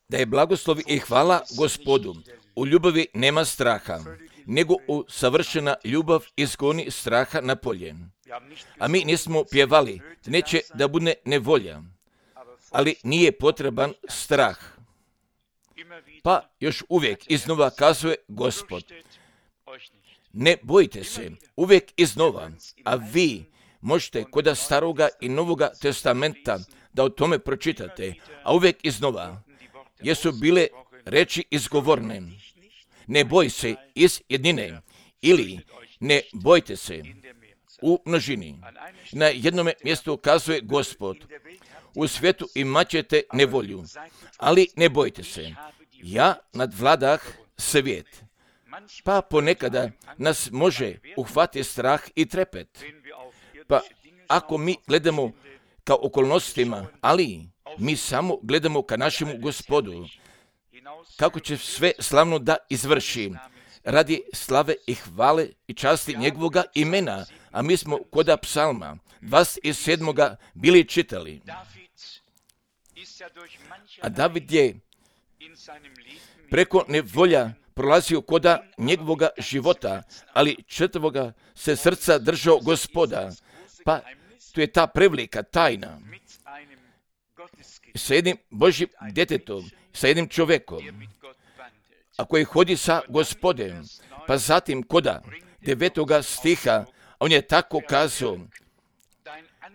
da je blagoslovi i hvala Gospodu. U ljubavi nema straha, nego u savršena ljubav izgoni straha na polje. A mi nismo pjevali, neće da bude nevolja, ali nije potreban strah. Pa još uvijek iznova kazuje Gospod, ne bojte se, uvijek iznova, a vi možete kod Staroga i Novoga testamenta da o tome pročitate, a uvijek iznova jesu bile reči izgovorne. Ne boj se iz jednine ili ne bojte se u množini. Na jednom mjestu kazuje Gospod, u svijetu imat ćete nevolju, ali ne bojte se, ja nadvladah svijet. Pa ponekada nas može uhvatiti strah i trepet. Pa ako mi gledamo ka okolnostima, ali mi samo gledamo ka našemu Gospodu, kako će sve slavno da izvrši, radi slave i hvale i časti njegovoga imena, a mi smo koda psalma 27. bili čitali. A David je preko nevolja prolazio koda njegovoga života, ali četvoga se srca držao Gospoda. Pa tu je ta prevlika, tajna, sa jednim Božjim djetetom, sa jednim čovjekom, a koji hodi sa Gospodem. Pa zatim koda 9. stiha, on je tako kazao,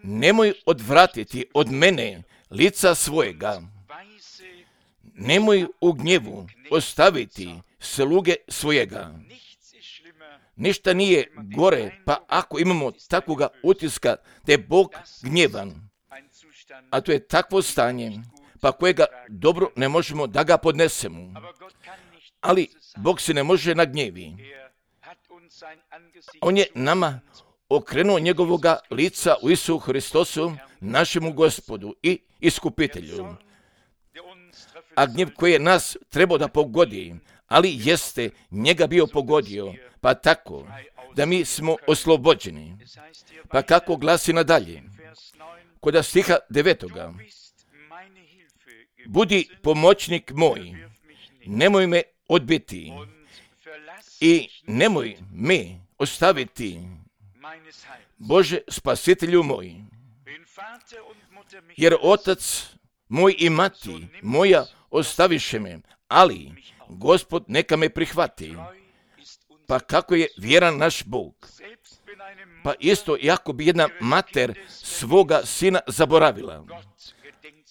nemoj odvratiti od mene lica svojega, nemoj u gnjevu ostaviti sluge svojega. Ništa nije gore, pa ako imamo takvoga utiska da je Bog gnjevan, a to je takvo stanje, pa kojega dobro ne možemo da ga podnesemo. Ali Bog se ne može nagnjevi. On je nama okrenuo njegovoga lica u Isusu Hristosu, našemu Gospodu i Iskupitelju. A gnjev koji je nas trebao da pogodi, ali jeste njega bio pogodio, pa tako da mi smo oslobođeni. Pa kako glasi nadalje? Koda stiha 9. Budi pomoćnik moj, nemoj me odbiti i nemoj me ostaviti, Bože spasitelju moj. Jer otac moj i mati moja ostaviše me, ali Gospod neka me prihvati. Pa kako je vjeran naš Bog? Pa isto jako bi jedna mater svoga sina zaboravila.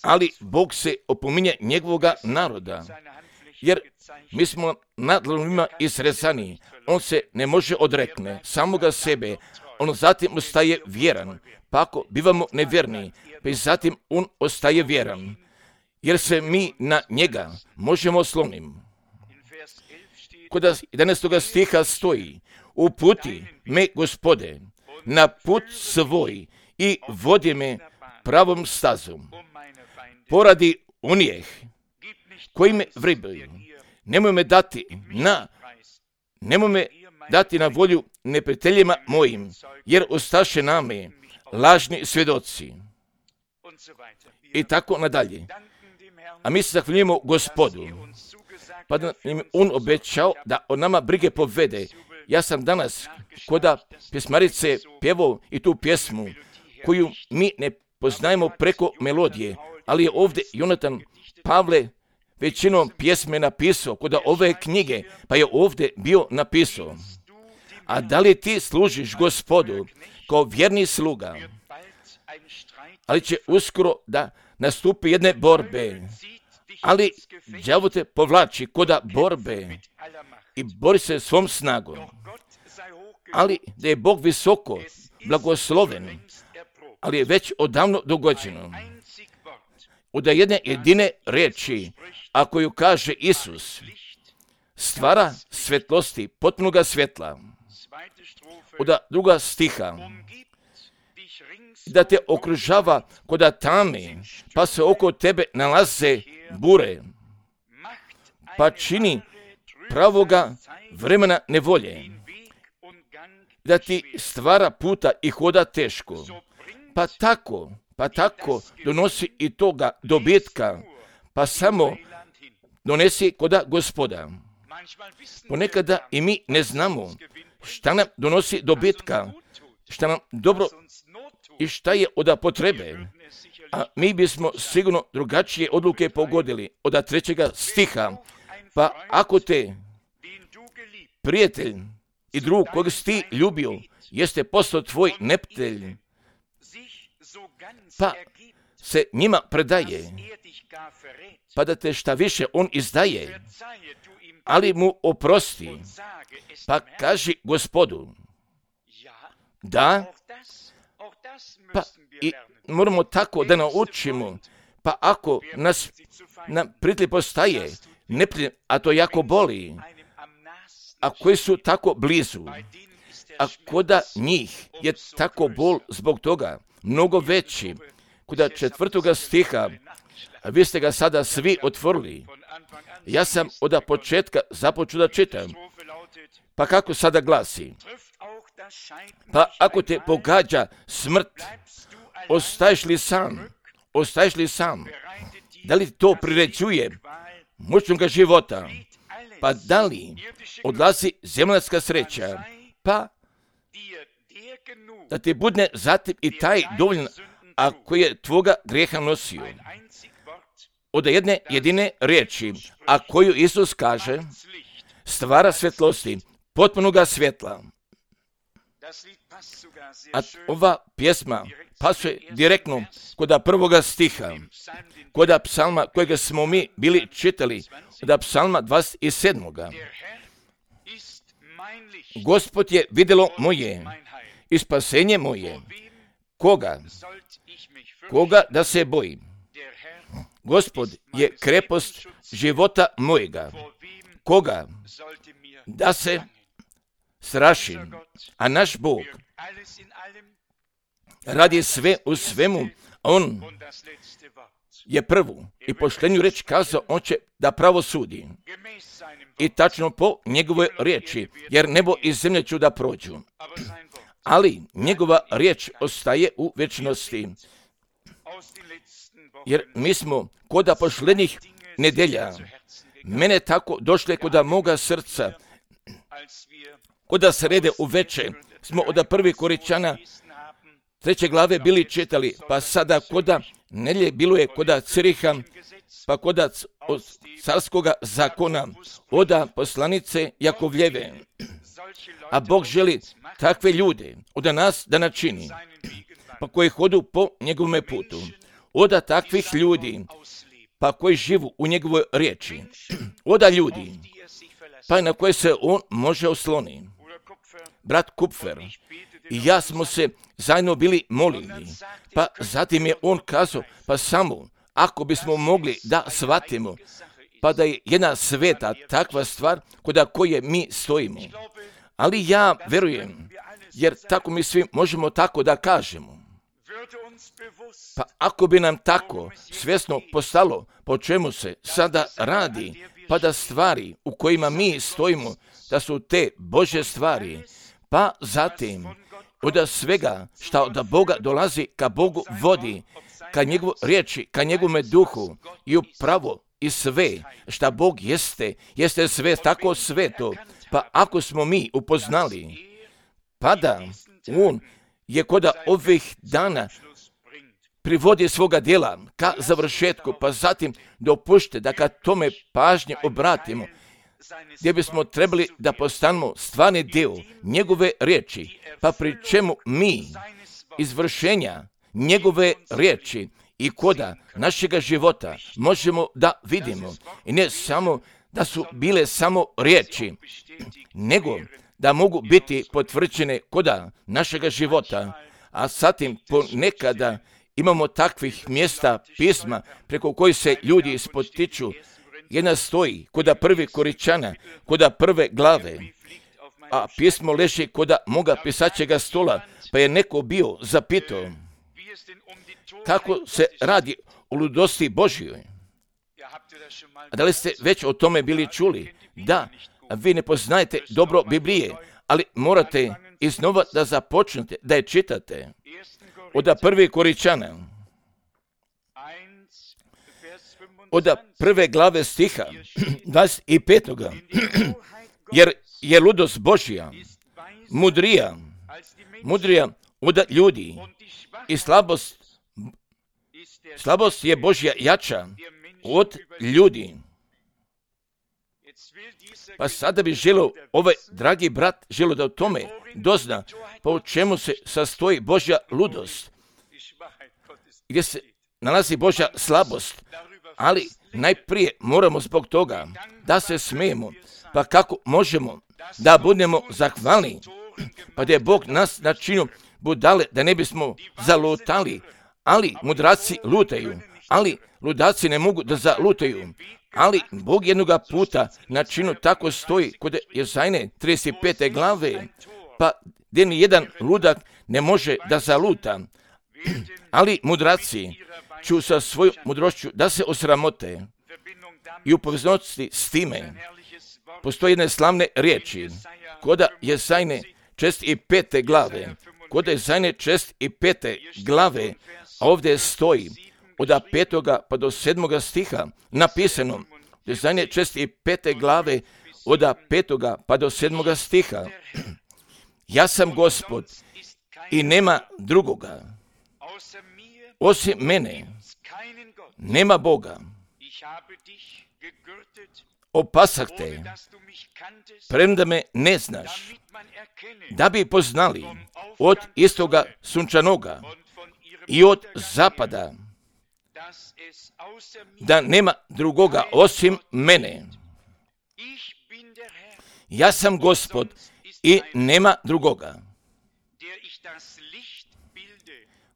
Ali Bog se opominje njegovoga naroda, jer mi smo na dlanovima isrezani. On se ne može odrekne samoga sebe, on zatim ostaje vjeran. Pa ako bivamo nevjerni, pa i zatim on ostaje vjeran, jer se mi na njega možemo osloniti. Kod 11. stiha stoji, uputi me, Gospode, na put svoj i vodi me pravom stazom. Poradi onih koji me vribaju. Nemoj me dati na volju neprijateljima mojim, jer ostaše name lažni svjedoci. I tako nadalje. A mi se zahvaljujemo Gospodu, pa da nam on obećao da o nama brige povede. Ja sam danas koda pjesmarice pjevao i tu pjesmu koju mi ne poznajemo preko melodije, ali je ovdje Jonatan Pavle većinom pjesme napisao koda ove knjige, pa je ovdje bio napisao. A da li ti služiš Gospodu kao vjerni sluga, ali će uskoro da nastupi jedne borbe, ali đavo te povlači koda borbe i bori se svom snagom. Ali da je Bog visoko blagosloven, ali je već odavno dogođeno. Od jedne jedine riječi, a koju kaže Isus, stvara svetlosti, potpunoga svjetla. Od 2. stiha, da te okružava koda tame, pa se oko tebe nalaze bure, pa čini pravoga vremena nevolje, da ti stvara puta i hoda teško, pa tako donosi i toga dobitka, pa samo donesi koda Gospoda. Ponekada i mi ne znamo šta nam donosi dobitka, šta nam dobro i šta je od potrebe. A mi bismo sigurno drugačije odluke pogodili od 3. stiha. Pa ako te prijatelj i drug kojeg si ti ljubio jeste postao tvoj neprijatelj, pa se njima predaje, pa da te šta više on izdaje, ali mu oprosti, pa kaži Gospodu, da, pa i moramo tako da naučimo, pa ako nas nam prijatelj postaje neprijatelj, a to jako boli, a koji su tako blizu, a koda njih je tako bol zbog toga mnogo veći, koda 4. stiha, a vi ste ga sada svi otvorili. Ja sam od početka započeo da čitam. Pa kako sada glasi? Pa ako te pogađa smrt, ostaješ li sam? Ostaješ li sam? Da li to priređuje mučnoga života? Pa da li odlazi zemaljska sreća? Pa da ti budne zatim i taj dovoljan, ako je tvoga grijeha nosio. Od jedne jedine riječi, a koju Isus kaže, stvara svjetlosti, potpunoga svjetla. A ova pjesma pasuje direktno kod 1. stiha, kod psalma kojega smo mi bili čitali, kod psalma 27. Gospod je vidjelo moje i spasenje moje. Koga da se bojim? Gospod je krepost života mojega. Koga da se strašim? A naš Bog radi sve u svemu. On je prvu i poštenju reč kazao, on će da pravo sudi. I tačno po njegove riječi, jer nebo i zemlje ću da prođu. Ali njegova riječ ostaje u večnosti. Jer mi smo koda pošlednjih nedelja, mene tako došle koda moga srca, koda srede u veče, smo od 1. Korinčana 3. glave bili čitali, pa sada koda nelje bilo je koda Ciriha, pa koda carskoga zakona, od poslanice Jakovljeve. A Bog želi takve ljude od nas da načini, pa koji hodu po njegovome putu. Od takvih ljudi, pa koji živu u njegovoj riječi. Od ljudi, pa na koje se on može osloni. Brat Kupfer i ja smo se zajedno bili molili, pa zatim je on kazao, pa samo ako bismo mogli da shvatimo, pa da je jedna sveta takva stvar kod koje mi stojimo. Ali ja verujem, jer tako mi svi možemo tako da kažemo. Pa ako bi nam tako svjesno postalo po čemu se sada radi, pa da stvari u kojima mi stojimo, da su te Božje stvari, pa zatim od svega što od Boga dolazi ka Bogu vodi, ka njegovu riječi, ka njegovome duhu i upravo i sve što Bog jeste sve tako sveto. Pa ako smo mi upoznali, pa da on je kod ovih dana privodi svoga djela ka završetku, pa zatim dopušte da ka tome pažnje obratimo, gdje bismo trebali da postanemo stvarni dio njegove riječi, pa pri čemu mi izvršenja njegove riječi i koda našega života možemo da vidimo. I ne samo da su bile samo riječi, nego da mogu biti potvrđene koda našega života, a zatim ponekada imamo takvih mjesta pisma preko kojih se ljudi spotiču. Jedna stoji koda 1. Korinčana, koda 1. glave, a pismo leži koda moga pisaćega stola, pa je neko bio zapitao kako se radi o ludosti Božjoj. A da li ste već o tome bili čuli? Da, vi ne poznajete dobro Biblije, ali morate iznova da započnete, da je čitate. Od 1. Korinčana, od prve glave stiha 25. Jer je ludost Božja mudrija od ljudi i slabost je Božja jača od ljudi. Pa sada bi želio, ovaj dragi brat, želio da o tome dozna po čemu se sastoji Božja ludost, gdje se nalazi Božja slabost, ali najprije moramo zbog toga da se smijemo. Pa kako možemo da budemo zahvalni, pa da je Bog nas načinio budale da ne bismo zalutali, ali mudraci lutaju, ali ludaci ne mogu da zalutaju, ali Bog jednoga puta načinu tako stoji kod Jezajne 35. glave, pa gdje ni jedan ludak ne može da zaluta, ali mudraci ću sa svojom mudrošću da se osramote. I u poveznosti s time postoje jedne slavne riječi kod Jezajne 65. glave, kod Jezajne 65. glave, a ovdje stoji od 5. pa do 7. stiha napisano, Jezajne 65. glave od 5. pa do 7. stiha. Ja sam Gospod i nema drugoga. Osim mene nema Boga. Opasah te, premda me ne znaš, da bi poznali od istoga sunčanoga i od zapada, da nema drugoga osim mene. Ja sam Gospod i nema drugoga,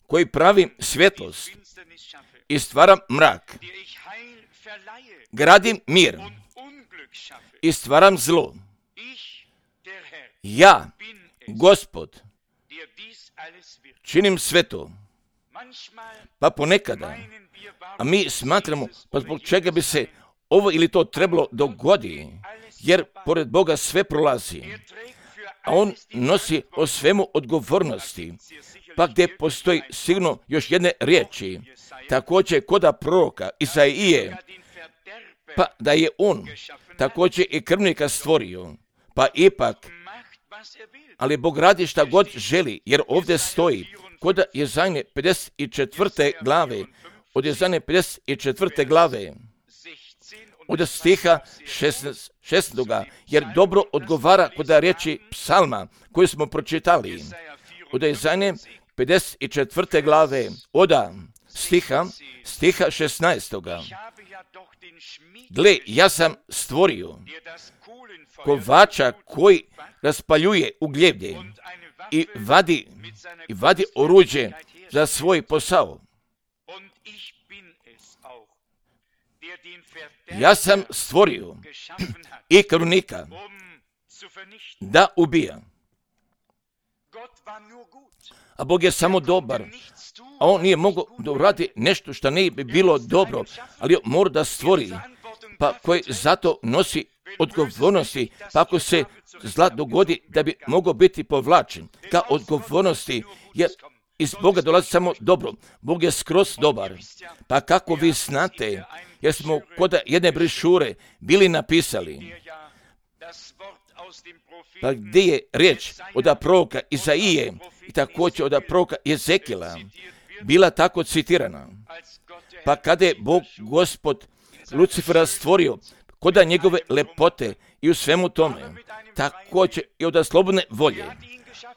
koji pravim svjetlost i stvaram mrak, gradim mir i stvaram zlo. Ja, Gospod, činim sve to. Pa ponekada, a mi smatramo, pa zbog čega bi se ovo ili to trebalo dogodi, jer pored Boga sve prolazi, a On nosi o svemu odgovornosti, pa gdje postoji sigurno još jedne riječi, također koda proroka Isaije, pa da je on također i krvnika stvorio, pa ipak, ali Bog radi šta god želi, jer ovdje stoji kod Jezajne 54. glave, od Jezajne 54. glave, od stiha 16. jer dobro odgovara kod riječi psalma koju smo pročitali, od Jezajne 54. glave, od stiha 16. Gle, ja sam stvorio kovača koji raspaljuje ugljevlje i vadi oruđe za svoj posao. Ja sam stvorio i krvnika da ubija. A Bog je samo dobar, a On nije mogao da uradi nešto što ne bi bilo dobro, ali on mora da stvori, pa koji zato nosi odgovornosti, pa ako se zla dogodi da bi mogao biti povlačen ka odgovornosti, jer iz Boga dolazi samo dobro. Bog je skroz dobar. Pa kako vi znate, jer smo kod jedne brošure bili napisali, pa gdje je riječ od proroka Isaije i također od proroka Jezekila bila tako citirana. Pa kada je Bog Gospod Lucifera stvorio koda njegove lepote i u svemu tome, također i od slobodne volje,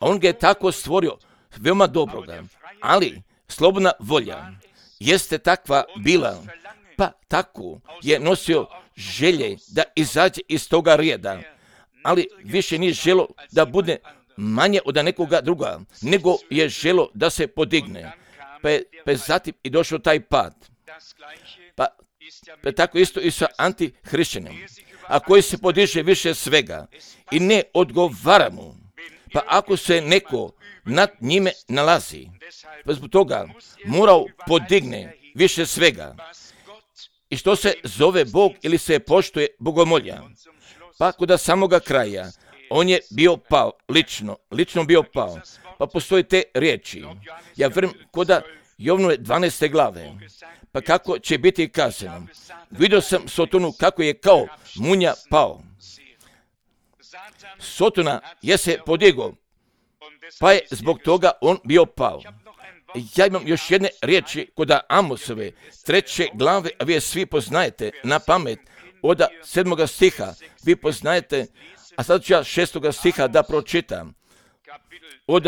on ga je tako stvorio veoma dobroga, ali slobodna volja jeste takva bila, pa tako je nosio želje da izađe iz toga rijeda, ali više nije želo da bude manje od nekoga druga, nego je želo da se podigne, pa je zatim i došao taj pad. Pa tako isto i sa antihrišćanom, a koji se podiže više svega i ne odgovara mu, pa ako se neko nad njime nalazi, pa zbog toga morao podigne više svega. I što se zove Bog ili se poštuje bogomolja, pa kod samoga kraja on je bio pao, lično bio pao, pa postoje te riječi. Ja vjerujem kod Jovnove 12. glave. Pa kako će biti kazano? Vidio sam Sotonu kako je kao munja pao. Sotona je se podigao, pa je zbog toga on bio pao. Ja imam još jedne riječi kod Amosove 3. glave, a vi je svi poznajete na pamet, od 7. stiha, vi poznajete, a sad ću ja 6. stiha da pročitam. Od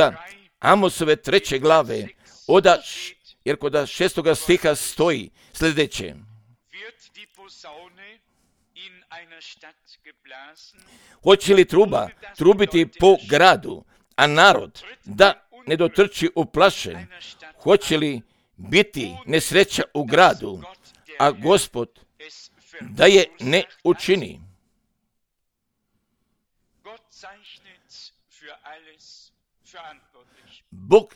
Amosove 3. glave, jer kod 6. stiha stoji sljedeće. Hoće li truba trubiti po gradu, a narod da ne dotrči u plaše? Hoće li biti nesreća u gradu, a Gospod da je ne učini? Bog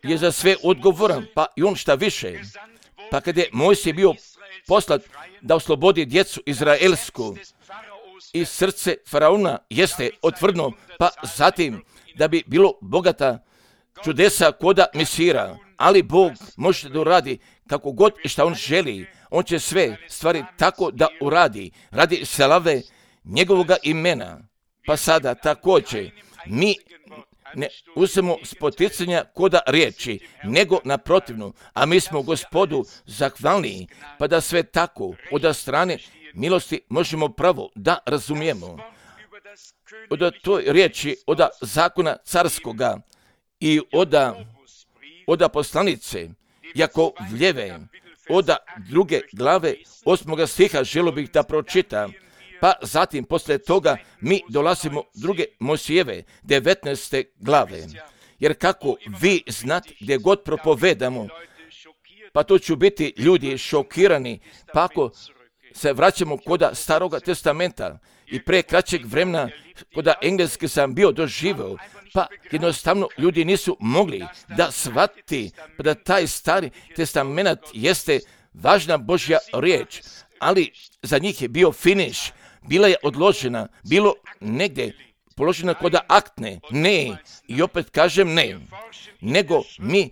je za sve odgovoran, pa i on šta više. Pa kad je Mojsije bio poslat da oslobodi djecu izraelsku, i srce faraona jeste otvrdno, pa zatim da bi bilo bogata čudesa koda Misira, ali Bog može da uradi kako god i šta on želi. On će sve stvari tako da uradi radi slave njegovoga imena. Pa sada također mi ne uzmemo spoticanja koda riječi, nego naprotivno, a mi smo Gospodu zahvalni, pa da sve tako od strane milosti možemo pravo da razumijemo. Od toj riječi, od zakona carskoga i od poslanice Jakovljeve, od 2. glave 8. stiha želio bih da pročitam. Pa zatim poslije toga mi dolazimo 2. Mojsijeve 19. glave. Jer kako vi znate gdje god propovedamo, pa to će biti ljudi šokirani, pa ako se vraćamo kod Staroga testamenta i pre kraćeg vremena kod engleske sam bio doživio, pa jednostavno ljudi nisu mogli da shvati pa da taj Stari testament jeste važna Božja riječ, ali za njih je bio finiš, bila je odložena, bilo negdje položena kod aktne, ne, i opet kažem ne, nego mi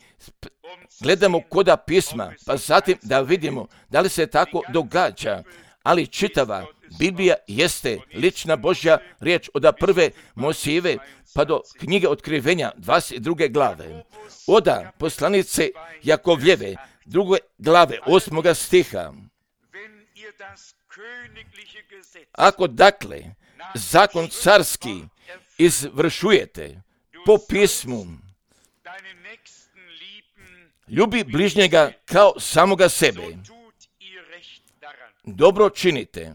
gledamo kod pisma, pa zatim da vidimo da li se tako događa, ali čitava Biblija jeste lična Božja riječ od 1. Mojsijeve pa do knjige Otkrivenja 22. glave, od poslanice Jakovljeve 2. glave 8. stiha. Ako dakle zakon carski izvršujete po pismu, ljubi bližnjega kao samoga sebe, dobro činite.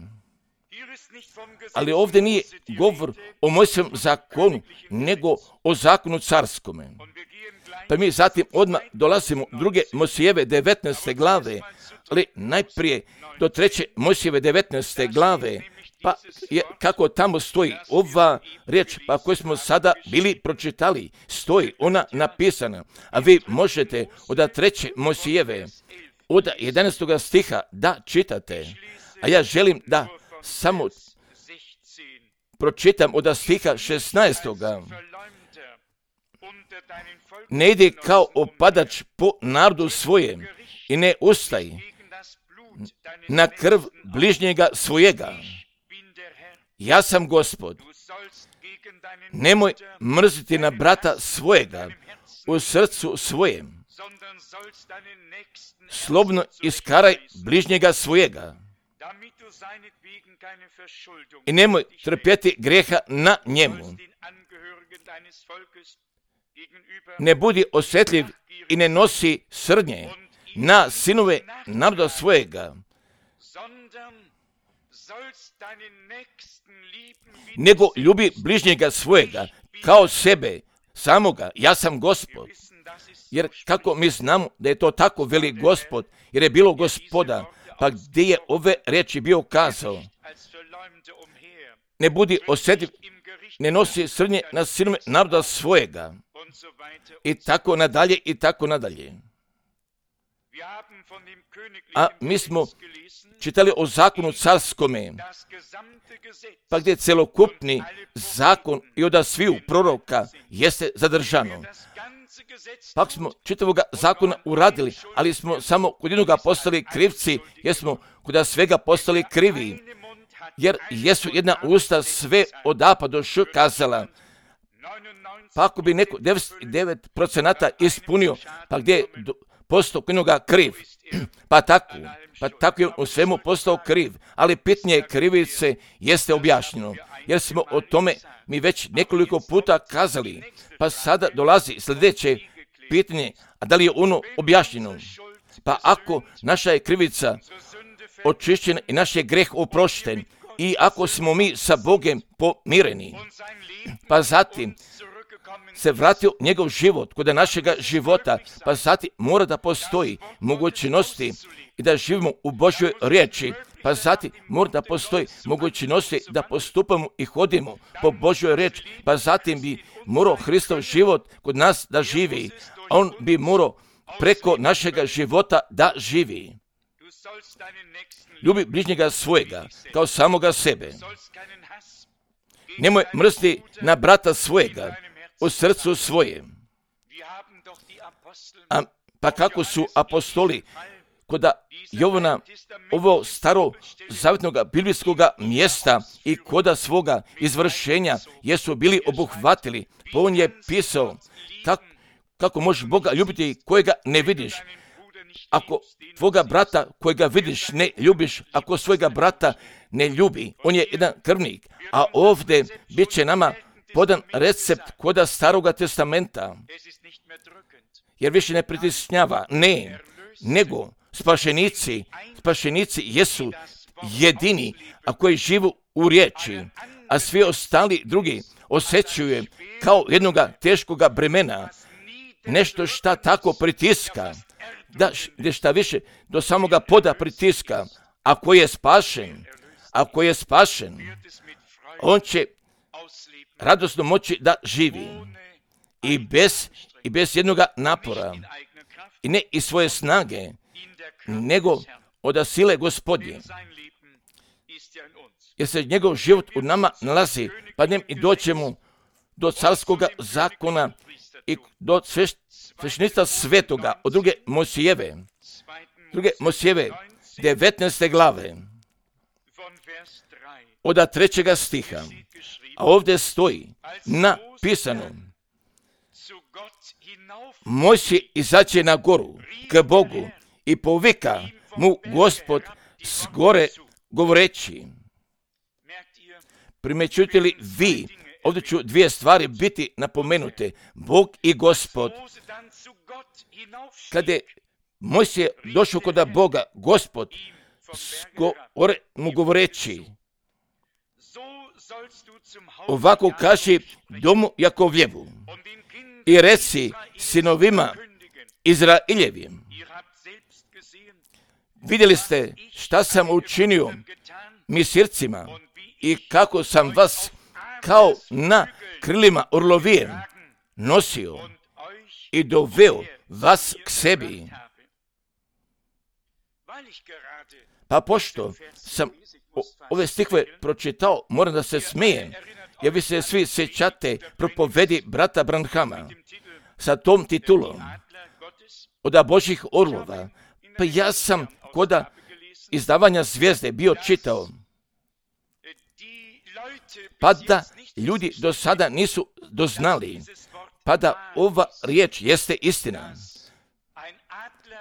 Ali ovdje nije govor o Mojsijevom zakonu, nego o zakonu carskome. Pa mi zatim odmah dolazimo 2. Mojsijeve 19. glave, ali najprije do 3. Mojsijeve 19. glave, pa kako tamo stoji ova riječ, pa koju smo sada bili pročitali, stoji ona napisana, a vi možete od 3. Mojsijeve, od 11. stiha da čitate, a ja želim da samo pročitam od stiha 16. Ne ide kao opadač po narodu svojem i ne ustaj na krv bližnjega svojega. Ja sam Gospod. Nemoj mrziti na brata svojega u srcu svojem. Slobodno iskaraj bližnjega svojega. I nemoj trpjeti grijeha na njemu. Ne budi osjetljiv i ne nosi srdnje na sinove naroda svojega, nego ljubi bližnjega svojega kao sebe samoga. Ja sam Gospod. Jer kako mi znamo da je to tako, veli Gospod, jer je bilo Gospoda, pa gdje je ove riječi bio kazao? Ne budi osjetljiv, ne nosi srnje na sinove naroda svojega. I tako nadalje, i tako nadalje. A mi smo čitali o zakonu carskome, pa gdje celokupni zakon i od sviju proroka jeste zadržano. Pak smo čitavoga zakona uradili, ali smo samo kod jednoga postali krivci, jer smo kod svega postali krivi. Jer jesu jedna usta sve od A pa do Š kazala. Pa ako bi neko 99% ispunio, pa gdje je postao kod jednoga kriv, pa tako je u svemu postao kriv, ali pitanje krivice jeste objašnjeno, jer smo o tome mi već nekoliko puta kazali, pa sada dolazi sljedeće pitanje, a da li je ono objašnjeno? Pa ako naša je krivica očišćena i naš je greh oprošten, i ako smo mi sa Bogom pomireni, pa zatim se vratio njegov život kod našega života, pa zatim mora da postoji mogućnosti i da živimo u Božjoj riječi, pa zatim mora da postoji mogućnosti da postupamo i hodimo po Božjoj riječi, pa zatim bi morao Hristov život kod nas da živi, a on bi morao preko našega života da živi. Ljubi bližnjega svojega kao samoga sebe. Nemoj mrziti na brata svojega u srcu svojem. Pa kako su apostoli kod Jovana ovo staro zavjetnog biblijskog mjesta i koda svoga izvršenja jesu bili obuhvatili, pa on je pisao kako možeš Boga ljubiti kojega ne vidiš. Ako tvoga brata kojega vidiš ne ljubiš, ako svojega brata ne ljubi, on je jedan krvnik. A ovdje bit će nama podan recept koda Staroga testamenta, jer više ne pritisnjava, ne, nego spašenici jesu jedini, a koji živu u riječi, a svi ostali drugi osjećaju kao jednoga teškoga bremena, nešto šta tako pritiska, da šta više do samoga poda pritiska. Ako je spašen, on će radosno moći da živi i bez jednoga napora i ne iz svoje snage, nego od sile Gospodnje. Jer se njegov život u nama nalazi, pa njem i doćemo do carskoga zakona i do sveštenstva svetoga od druge Mojsijeve 19. glave od 3. stiha. A ovdje stoji napisano: Mojsije izađe na goru k Bogu i povika mu Gospod s gore govoreći. Primećujete li vi, ovdje ću dvije stvari biti napomenute, Bog i Gospod. Kad je Mojsije došao kod Boga, Gospod gore mu govoreći, ovako kaži domu Jakovljevu i reci sinovima Izraeljevim, vidjeli ste šta sam učinio Misircima i kako sam vas kao na krilima orlovije nosio i doveo vas k sebi. Pa pošto sam ove stihove pročitao, moram da se smijem, jer vi se svi sjećate propovedi brata Branhama sa tom titulom od Božjih orlova. Pa ja sam kod izdavanja Zvijezde bio čitao, pa da ljudi do sada nisu doznali, pa da ova riječ jeste istina,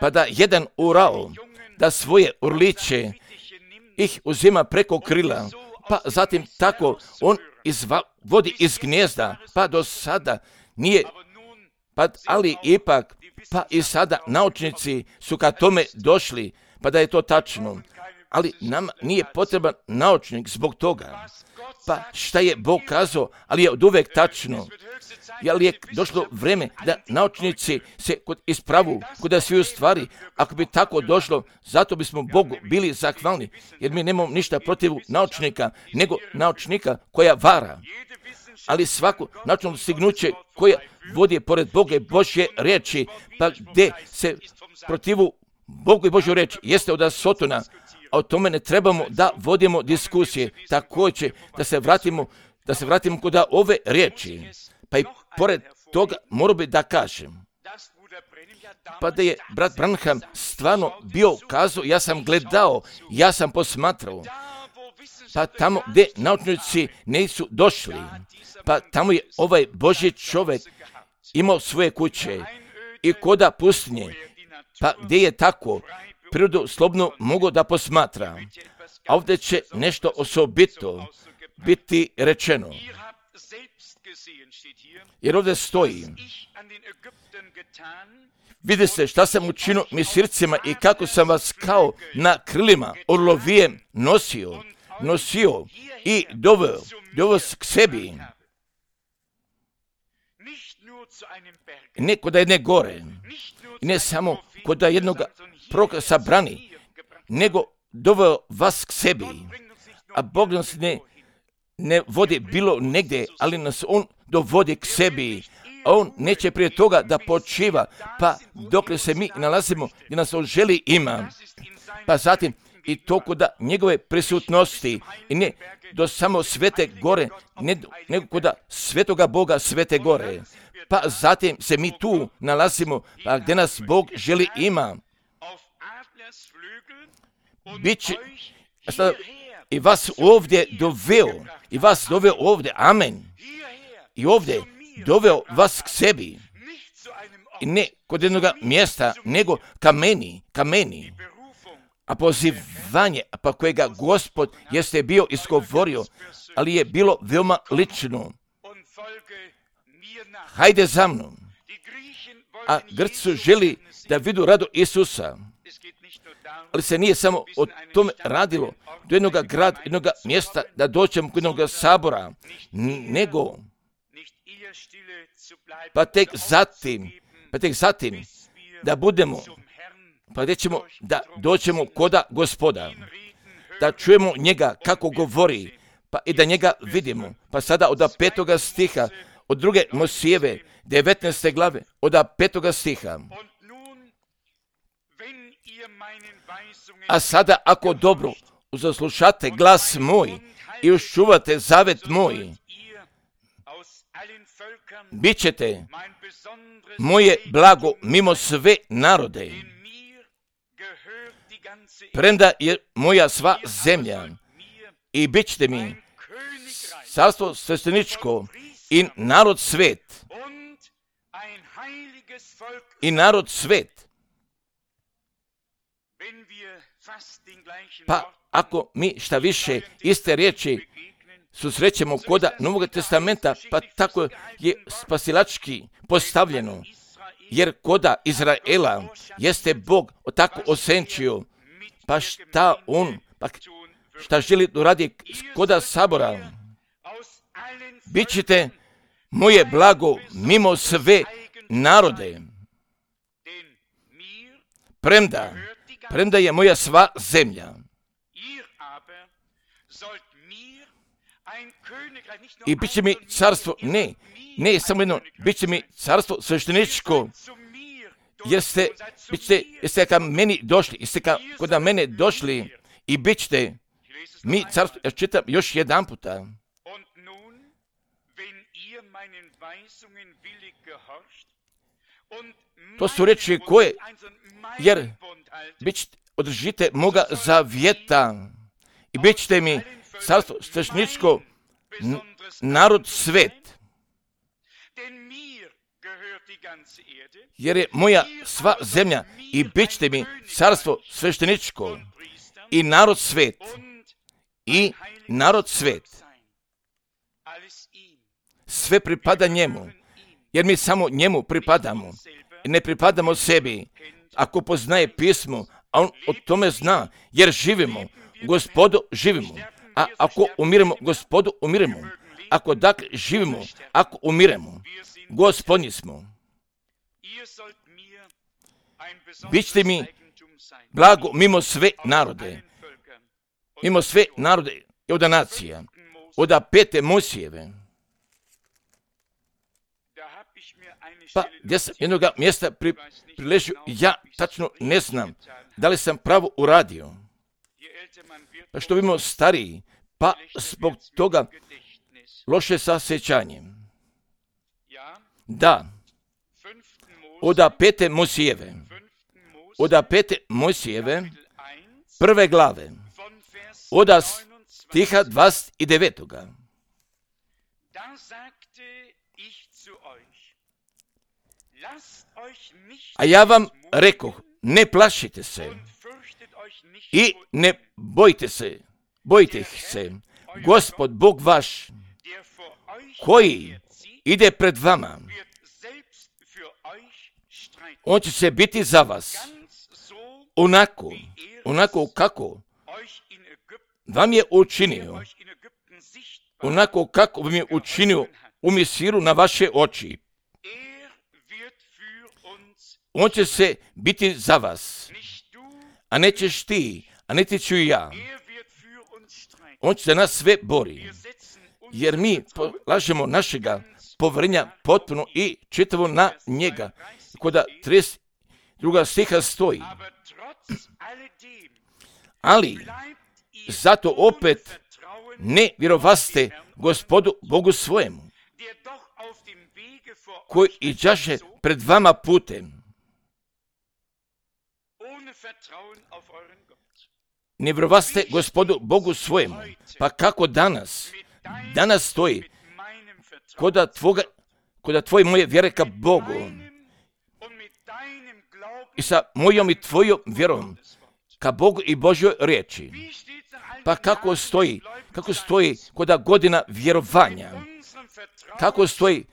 pa da jedan urao da svoje orliće ih uzima preko krila, pa zatim tako on vodi iz gnijezda, pa do sada nije, ali ipak, pa i sada naučnici su ka tome došli, pa da je to tačno, ali nam nije potreban naučnik zbog toga. Pa šta je Bog kazao, ali je od uvek tačno. Jel je došlo vrijeme da naučnici se ispravu kod sviju stvari? Ako bi tako došlo, zato bismo Bogu bili zahvalni, jer mi nemamo ništa protiv naučnika, nego naučnika koja vara. Ali svako naučno stignuće koja vodi pored Boga i Božje riječi, pa gdje se protivu Bogu i Božju riječ, jeste od Sotona, a o tome ne trebamo da vodimo diskusije. Također da se vratimo kod ove riječi. Pa i pored toga moram bi da kažem, Pa da je brat Branham stvarno bio kazao, ja sam gledao, ja sam posmatrao. Pa tamo gdje naučnici nisu došli, pa tamo je ovaj Božji čovjek imao svoje kuće i koda pustinje, pa gdje je tako prirodu slobodno mogao da posmatra. A ovdje će nešto osobito biti rečeno. Jer ovdje stoji, vidite šta sam učinio Misircima i kako sam vas kao na krilima orlovije nosio i doveo k sebi. Ne kod jedne gore, ne samo kod jednog prokrasa brani, nego doveo vas k sebi. A Bog nas ne vodi bilo negdje, ali nas On dovodi k sebi. A On neće prije toga da počiva, pa dokle se mi nalazimo gdje nas On želi ima. Pa zatim i to kod njegove prisutnosti i ne do samo svete gore, nego kod svetoga Boga svete gore. Pa zatim se mi tu nalazimo, pa gdje nas Bog želi ima. Biće i vas ovdje doveo ovdje, amen. I ovdje doveo vas k sebi. I ne kod jednog mjesta, nego kameni. A pozivanje, pa kojega Gospod jeste bio izgovorio, ali je bilo veoma lično. Hajde za mnom. A Grci želi da vidu rado Isusa. Ali se nije samo o tome radilo, do jednog grada, jednog mjesta, da dođemo kod jednog sabora, nego pa tek zatim da budemo, pa gdje ćemo da dođemo koda Gospoda, da čujemo njega kako govori, pa i da njega vidimo. Pa sada od 5. stiha, od 2. Mosijeve, 19. glave, od 5. stiha. A sada ako dobro uzaslušate glas moj i uščuvate zavet moj, bit ćete moje blago mimo sve narode, premda je moja sva zemlja, i bit ćete mi carstvo svešteničko i narod svet. I narod svet. Pa ako mi šta više iste riječi susrećemo koda Novog testamenta, pa tako je spasilački postavljeno. Jer koda Izraela jeste Bog tako osenčio, pa šta želi da radi koda sabora? Bićete moje blago mimo sve narode, premda je moja sva zemlja. I bit će mi carstvo, ne samo jedno, bit će mi carstvo svešteničko, jer ste ka meni došli, kod mene došli i bit ćete mi carstvo. Ja čitam još jedan puta. To su reči koje, jer održite moga zavjeta i bit ćete mi carstvo svešteničko, narod svet. Jer je moja sva zemlja i bit ćete mi carstvo svešteničko i narod svet. I narod svet. Sve pripada njemu, jer mi samo njemu pripadamo. Ne pripadamo sebi. Ako poznaje pismo, a on o tome zna, jer živimo, Gospodu živimo. A ako umiremo, Gospodu umiremo. Ako dakle živimo, ako umiremo, Gospodnji smo. Bićete mi blago mimo sve narode. Mimo sve narode i od nacija. Od 5. Mosijeve. Pa gdje sam jednog mjesta priležio, ja tačno ne znam da li sam pravo uradio. Pa što bimo stariji, pa zbog toga loše sasjećanje. Da, od 5. Mojsijeve, od 5. Mojsijeve, 1. glave, od stiha 29. A ja vam rekoh, ne plašite se i ne bojte se. Gospod, Bog vaš, koji ide pred vama, on će se biti za vas, onako kako vam je učinio, onako kako vam je učinio u Misiru na vaše oči. On će se biti za vas, a nećeš ti, a niti ću ja. On će za nas sve bori, jer mi polažemo našega poverenja potpuno i čitavo na njega. Kod 32. stiha stoji, ali zato opet ne vjerovaste Gospodu Bogu svojemu, koji iđaše pred vama putem. Ne vjerovaste Gospodu Bogu svojemu. Pa kako danas? Danas stoji kod tvoje moje vjere ka Bogu i sa mojom i tvojom vjerom ka Bogu i Božjoj riječi. Pa kako stoji kod godina vjerovanja? Kako stoji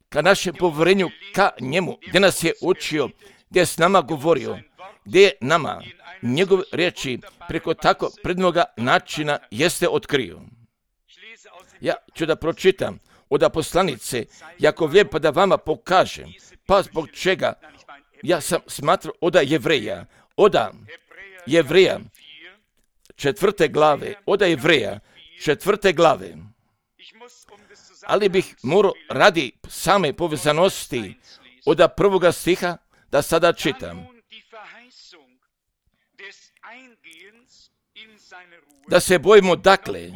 ka našem povjerenju ka njemu, gdje nas je učio, gdje je s nama govorio, gdje je nama njegove riječi preko tako prednoga načina jeste otkrio. Ja ću da pročitam od poslanice Jakovlje pa da vama pokažem, pa zbog čega ja sam smatrao od Jevreja 4. glave, od Jevreja 4. glave. Ali bih morao radi same povezanosti od 1. stiha da sada čitam. Da se bojimo dakle,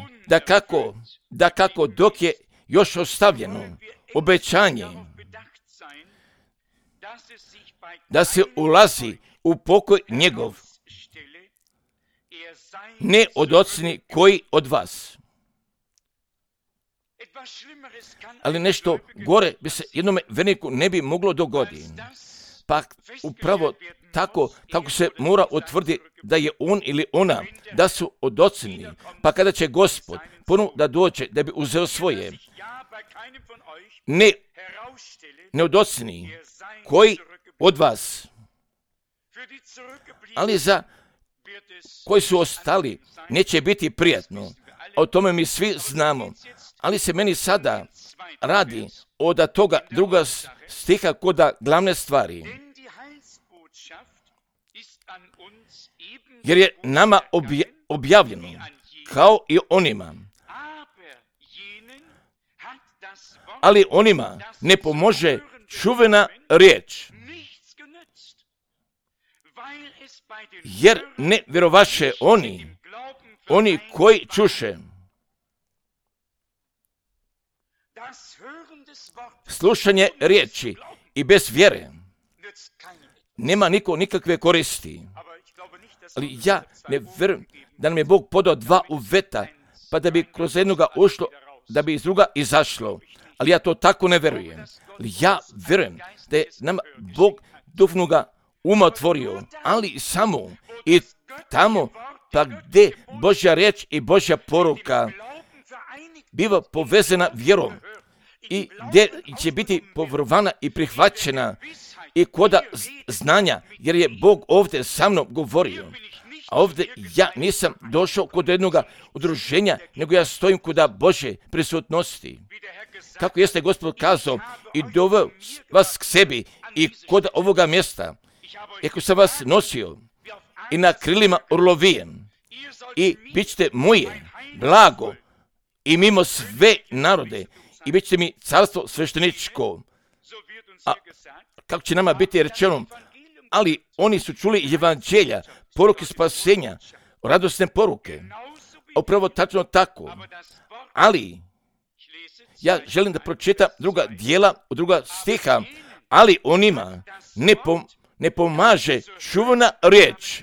da kako dok je još ostavljeno obećanje, da se ulazi u pokoj njegov, ne od ocni koji od vas. Ali nešto gore bi se jednome verniku ne bi moglo dogoditi. Pa upravo tako kako se mora utvrditi da je on ili ona, da su odocnili. Pa kada će Gospod ponovo da dođe da bi uzeo svoje, ne odocni koji od vas, ali za koji su ostali neće biti prijatno. O tome mi svi znamo. Ali se meni sada radi od toga 2. stiha kod glavne stvari. Jer je nama objavljeno kao i onima. Ali onima ne pomože čuvena riječ. Jer ne vjerovaše oni koji čuše. Slušanje riječi i bez vjere nema niko nikakve koristi. Ali ja ne vjerujem da nam je Bog podao 2 uveta, pa da bi kroz jednoga ušlo, da bi iz druga izašlo. Ali ja to tako ne vjerujem. Ali ja vjerujem da je nam Bog duhovnoga uma otvorio, ali samo i tamo pa gdje Božja riječ i Božja poruka biva povezana vjerom i gdje će biti povjerovana i prihvaćena i koda znanja, jer je Bog ovdje sa mnom govorio. A ovdje ja nisam došao kod jednog udruženja, nego ja stojim kod Božje prisutnosti. Kako jeste Gospod kazao i doveo vas k sebi i kod ovoga mjesta, ako sam vas nosio i na krilima orlovijem i bit ćete moje blago i mimo sve narode i bit ćete mi carstvo svešteničko. A kako će nama biti rečeno, ali oni su čuli evanđelja, poruke spasenja, radosne poruke. Upravo tačno tako. Ali ja želim da pročitam druga dijela, 2. stiha, ali onima ne pomaže čuvana riječ.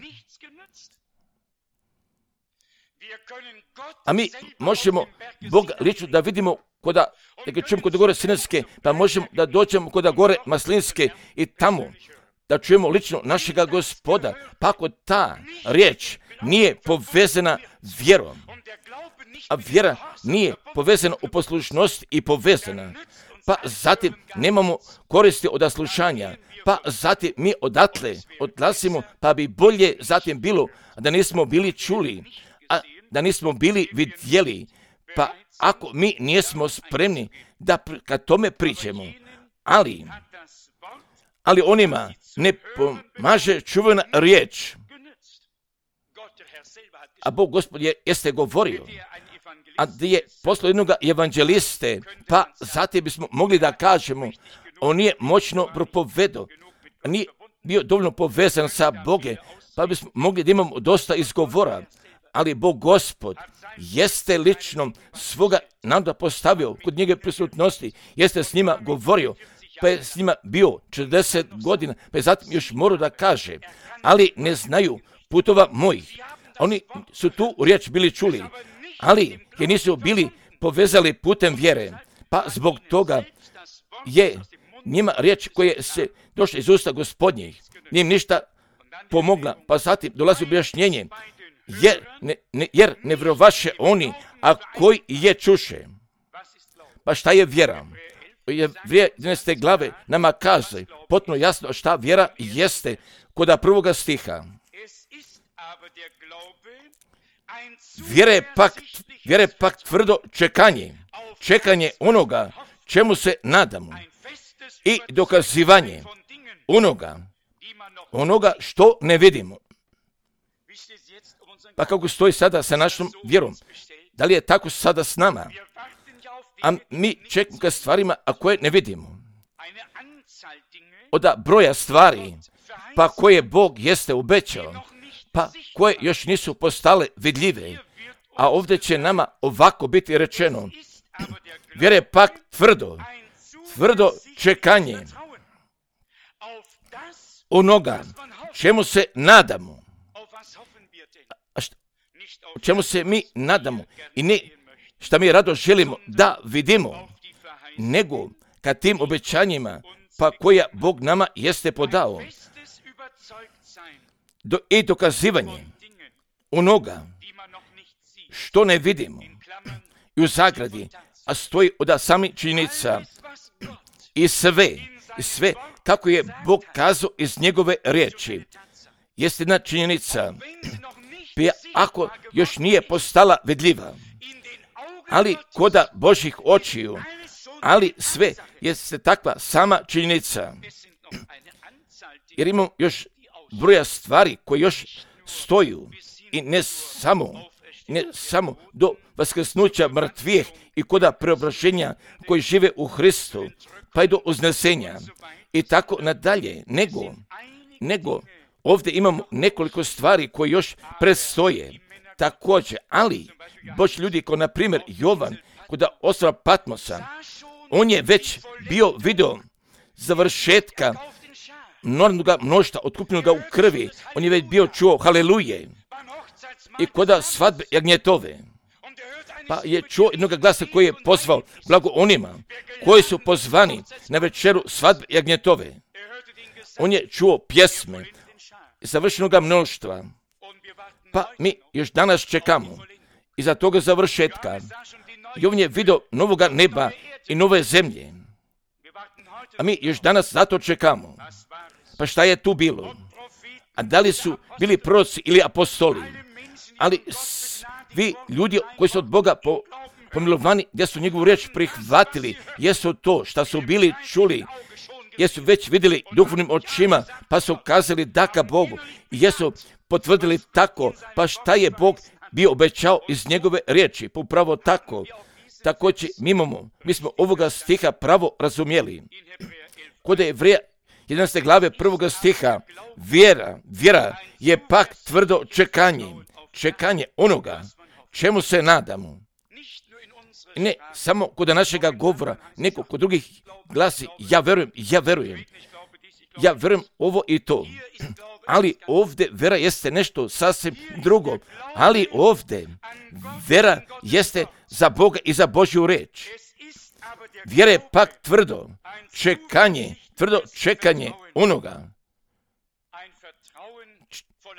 A mi možemo Boga lično da vidimo kod gore Sinajske, pa možemo da dođemo kod gore Maslinske i tamo da čujemo lično našega Gospoda, pa ako ta riječ nije povezana vjerom, a vjera nije povezana u poslušnost i povezana, pa zatim nemamo koristi od slušanja, pa zatim mi odatle odlazimo, pa bi bolje zatim bilo da nismo bili čuli, a da nismo bili vidjeli, pa ako mi nismo spremni da kad tome pričamo, ali onima ne pomaže čuvena riječ. A Bog Gospod jeste govorio, a gdje je poslao jednog evanđeliste, pa zatim bismo mogli da kažemo, on nije moćno propovedao, nije bio dovoljno povezan sa Boge, pa bismo mogli da imamo dosta izgovora, ali Bog Gospod jeste lično svoga naroda postavio kod njega prisutnosti, jeste s njima govorio, pa je s njima bio 40 godina, pa je zatim još morao da kaže, ali ne znaju putova mojih. Oni su tu riječ bili čuli, ali je nisu bili povezali putem vjere, pa zbog toga je njima riječ koja se došla iz usta Gospodnjih, nije im ništa pomogla, pa zatim dolazi objašnjenje, jer ne vjerovaše oni, a koji je čuše. Pa šta je vjera? Vrijeme 11. glave nama kaže potpuno jasno šta vjera jeste kod 1. stiha. Vjera je pak tvrdo čekanje onoga čemu se nadamo i dokazivanje onoga što ne vidimo. Pa kako stoji sada sa našom vjerom? Da li je tako sada s nama? A mi čekamo ka stvarima, a koje ne vidimo. Od broja stvari, pa koje Bog jeste obećao, pa koje još nisu postale vidljive, a ovdje će nama ovako biti rečeno, vjera je pak tvrdo čekanje onoga čemu se nadamo. O čemu se mi nadamo i ne šta mi rado želimo da vidimo, nego ka tim obećanjima pa koja Bog nama jeste podao i dokazivanje onoga što ne vidimo. I u zagradi, a stoji od samih činjenica i sve kako je Bog kazao iz njegove riječi. Jeste jedna činjenica, ako još nije postala vidljiva, ali koda Božjih očiju, ali sve jeste takva sama činjenica. Jer imamo još broja stvari koje još stoju i ne samo do vaskrsnuća mrtvih i koda preobraženja koji žive u Hristu, pa i do uznesenja i tako nadalje, nego ovdje imamo nekoliko stvari koje još predstoje. Također, ali Božji ljudi kao na primjer Jovan kod ostrva Patmosa, on je već bio video završetka enormnog mnoštva otkupljenoga u krvi, on je već bio čuo haleluje i kod svadbe jagnjetove, pa je čuo jednog glasa koji je pozvao blago onima koji su pozvani na večeru svadbe jagnjetove. On je čuo pjesme završenog mnoštva, pa mi još danas čekamo iza toga završetka. I on je vidio novoga neba i nove zemlje, a mi još danas zato čekamo. Pa šta je tu bilo? A da li su bili proroci ili apostoli? Ali vi ljudi koji su od Boga pomilovani, gdje su njegovu riječ prihvatili, jesu to šta su bili čuli, jesu već vidjeli duhovnim očima, pa su kazali da ka Bogu, i jesu potvrdili tako, pa šta je Bog bio obećao iz njegove riječi, upravo tako. Također mi smo ovoga stiha pravo razumjeli. Kod Jevreja 11. glave 1. stiha, vjera je pak tvrdo čekanje onoga čemu se nadamo. Ne samo kod našega govora, nego kod drugih glasi, ja verujem ovo i to. Ali ovdje vera jeste nešto sasvim drugo. Ali ovdje vera jeste za Boga i za Božju reč. Vjera je pak tvrdo čekanje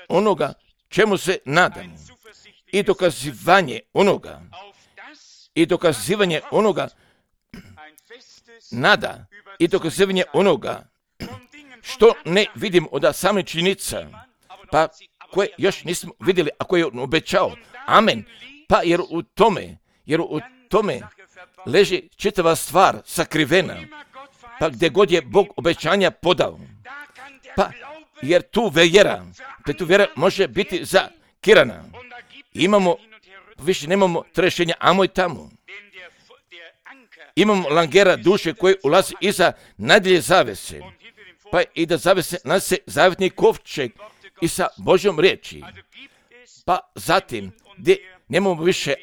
onoga čemu se nadamo. I dokazivanje onoga nada i dokazivanje onoga što ne vidimo od samih činjenica, pa koje još nismo vidjeli, a koje je on obećao. Amen. Pa jer u tome leži čitava stvar sakrivena, pa gdje god je Bog obećanja podao. Pa jer tu vjera može biti zakirana. Više nemamo trešenja amo i tamo. Imamo langera duše koji ulazi iza najdjelje zavese. Pa i da zavese nas se zavjetni kovčeg i sa Božjom riječi. Pa zatim, gdje nemamo više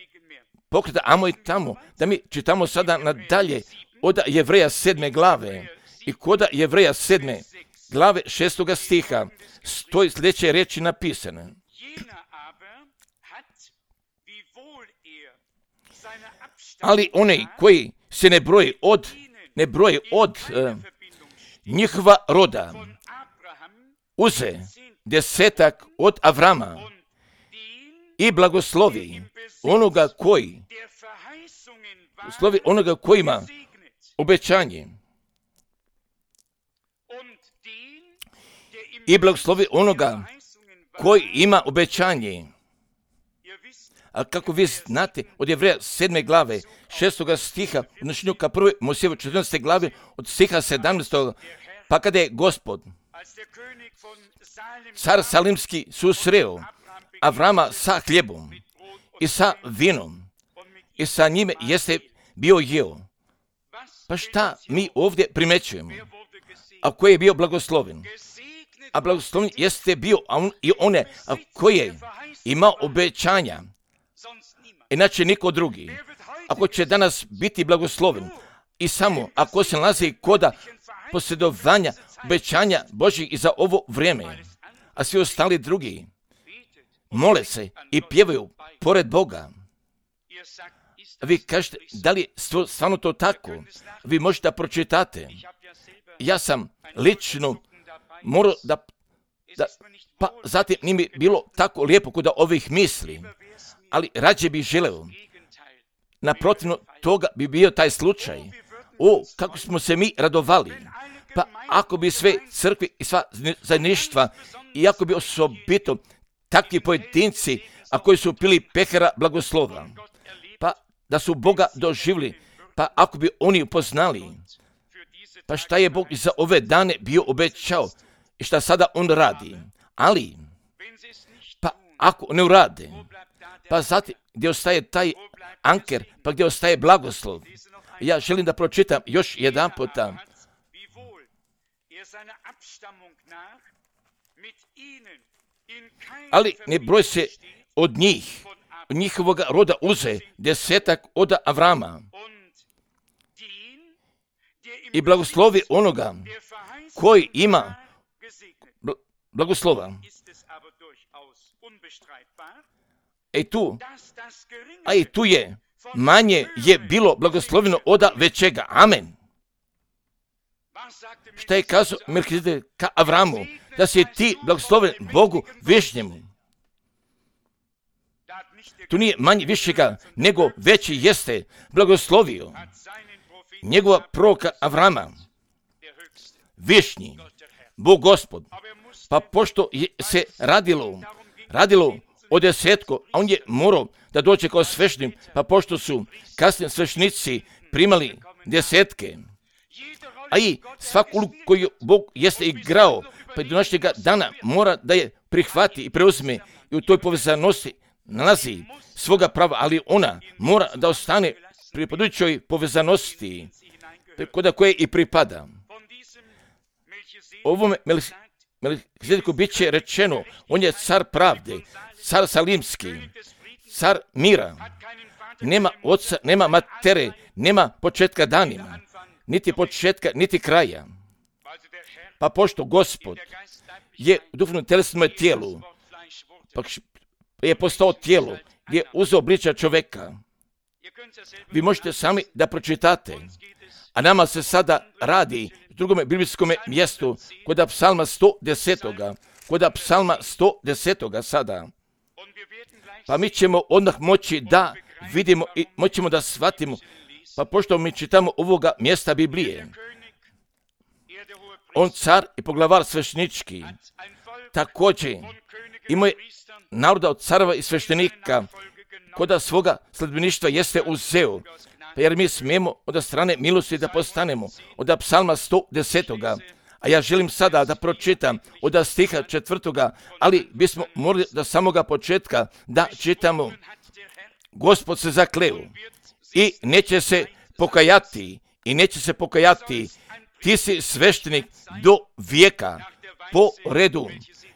pokreta amo i tamo, da mi čitamo sada nadalje od Jevreja 7. glave. I kod Jevreja 7. glave 6. stiha stoji sljedeće riječi napisane. Ali oni koji se ne broje od njihova roda, uze 10 od Avrama i blagoslovi onoga koji ima obećanje. I blagoslovi onoga koji ima obećanje. A kako vi znate, od Jevreja 7. glave, 6. stiha, odnošenju ka 1. Mojsijevoj 14. glave, od stiha 17. Pa kada je Gospod, car Salimski, susreo Avrama sa hljebom i sa vinom i sa njime jeste bio jeo. Pa šta mi ovdje primećujemo? A koji je bio blagosloven? A blagosloven jeste bio one koji je imao obećanja. Inače niko drugi. Ako će danas biti blagosloven i samo ako se nalazi koda posjedovanja obećanja Božjih i za ovo vrijeme, a svi ostali drugi mole se i pjevaju pored Boga. Vi kažete, da li je stvarno to tako? Vi možete da pročitate. Ja sam lično morao pa zatim nije mi bilo tako lijepo kod ovih misli, ali rađe bih želeo. Naprotivno toga bi bio taj slučaj. Kako smo se mi radovali. Pa ako bi sve crkve i sva zajedništva, i ako bi osobito takvi pojedinci, a koji su pili pehara blagoslova, pa da su Boga doživjeli, pa ako bi oni upoznali, pa šta je Bog za ove dane bio obećao i šta sada on radi. Ali, pa ako ne urade, pa zatim gdje ostaje taj anker, pa gdje ostaje blagoslov. Ja želim da pročitam još jedan puta. Ali ne broj se od njih, od njihovog roda uze 10 od Avrama i blagoslovi onoga koji ima blagoslova. I tu je manje je bilo blagosloveno od većega. Amen. Šta je kazao Melkizedek ka Avramu? Da si ti blagosloven Bogu višnjemu. Tu nije manje višega, nego veći jeste blagoslovio njegova proroka Avrama. Višnji, Bog Gospod. Pa pošto se radilo o 10, a on je morao da dođe kao sveštenik, pa pošto su kasnije sveštenici primali 10, a i svaku ulogu koju Bog jeste igrao, pa do našega dana mora da je prihvati i preuzme i u toj povezanosti nalazi svoga prava, ali ona mora da ostane pripadajućoj povezanosti kod koje i pripada. Ovome Melkizedeku bit će rečeno, on je car pravde, car salimski, car mira. nema oca, nema matere, nema početka danima, niti početka, niti kraja. Pa pošto Gospod je u duhovnom telesnom tijelu, pa je postao tijelo, je uzeo obličja čoveka. Vi možete sami da pročitate. A nama se sada radi u drugom biblijskom mjestu kod psalma 110. Kod psalma 110. sada. Pa mi ćemo odmah moći da vidimo i moćemo da shvatimo. Pa pošto mi čitamo ovoga mjesta Biblije, on car i poglavar svešnički, također imao je naroda od careva i sveštenika, koda svoga sledbeništva jeste uzeo, pa jer mi smijemo od strane milosti da postanemo, od psalma 110. A ja želim sada da pročitam od stiha 4. ali bismo morali do samoga početka da čitamo. Gospod se zakleo i neće se pokajati, ti si sveštenik do vijeka po redu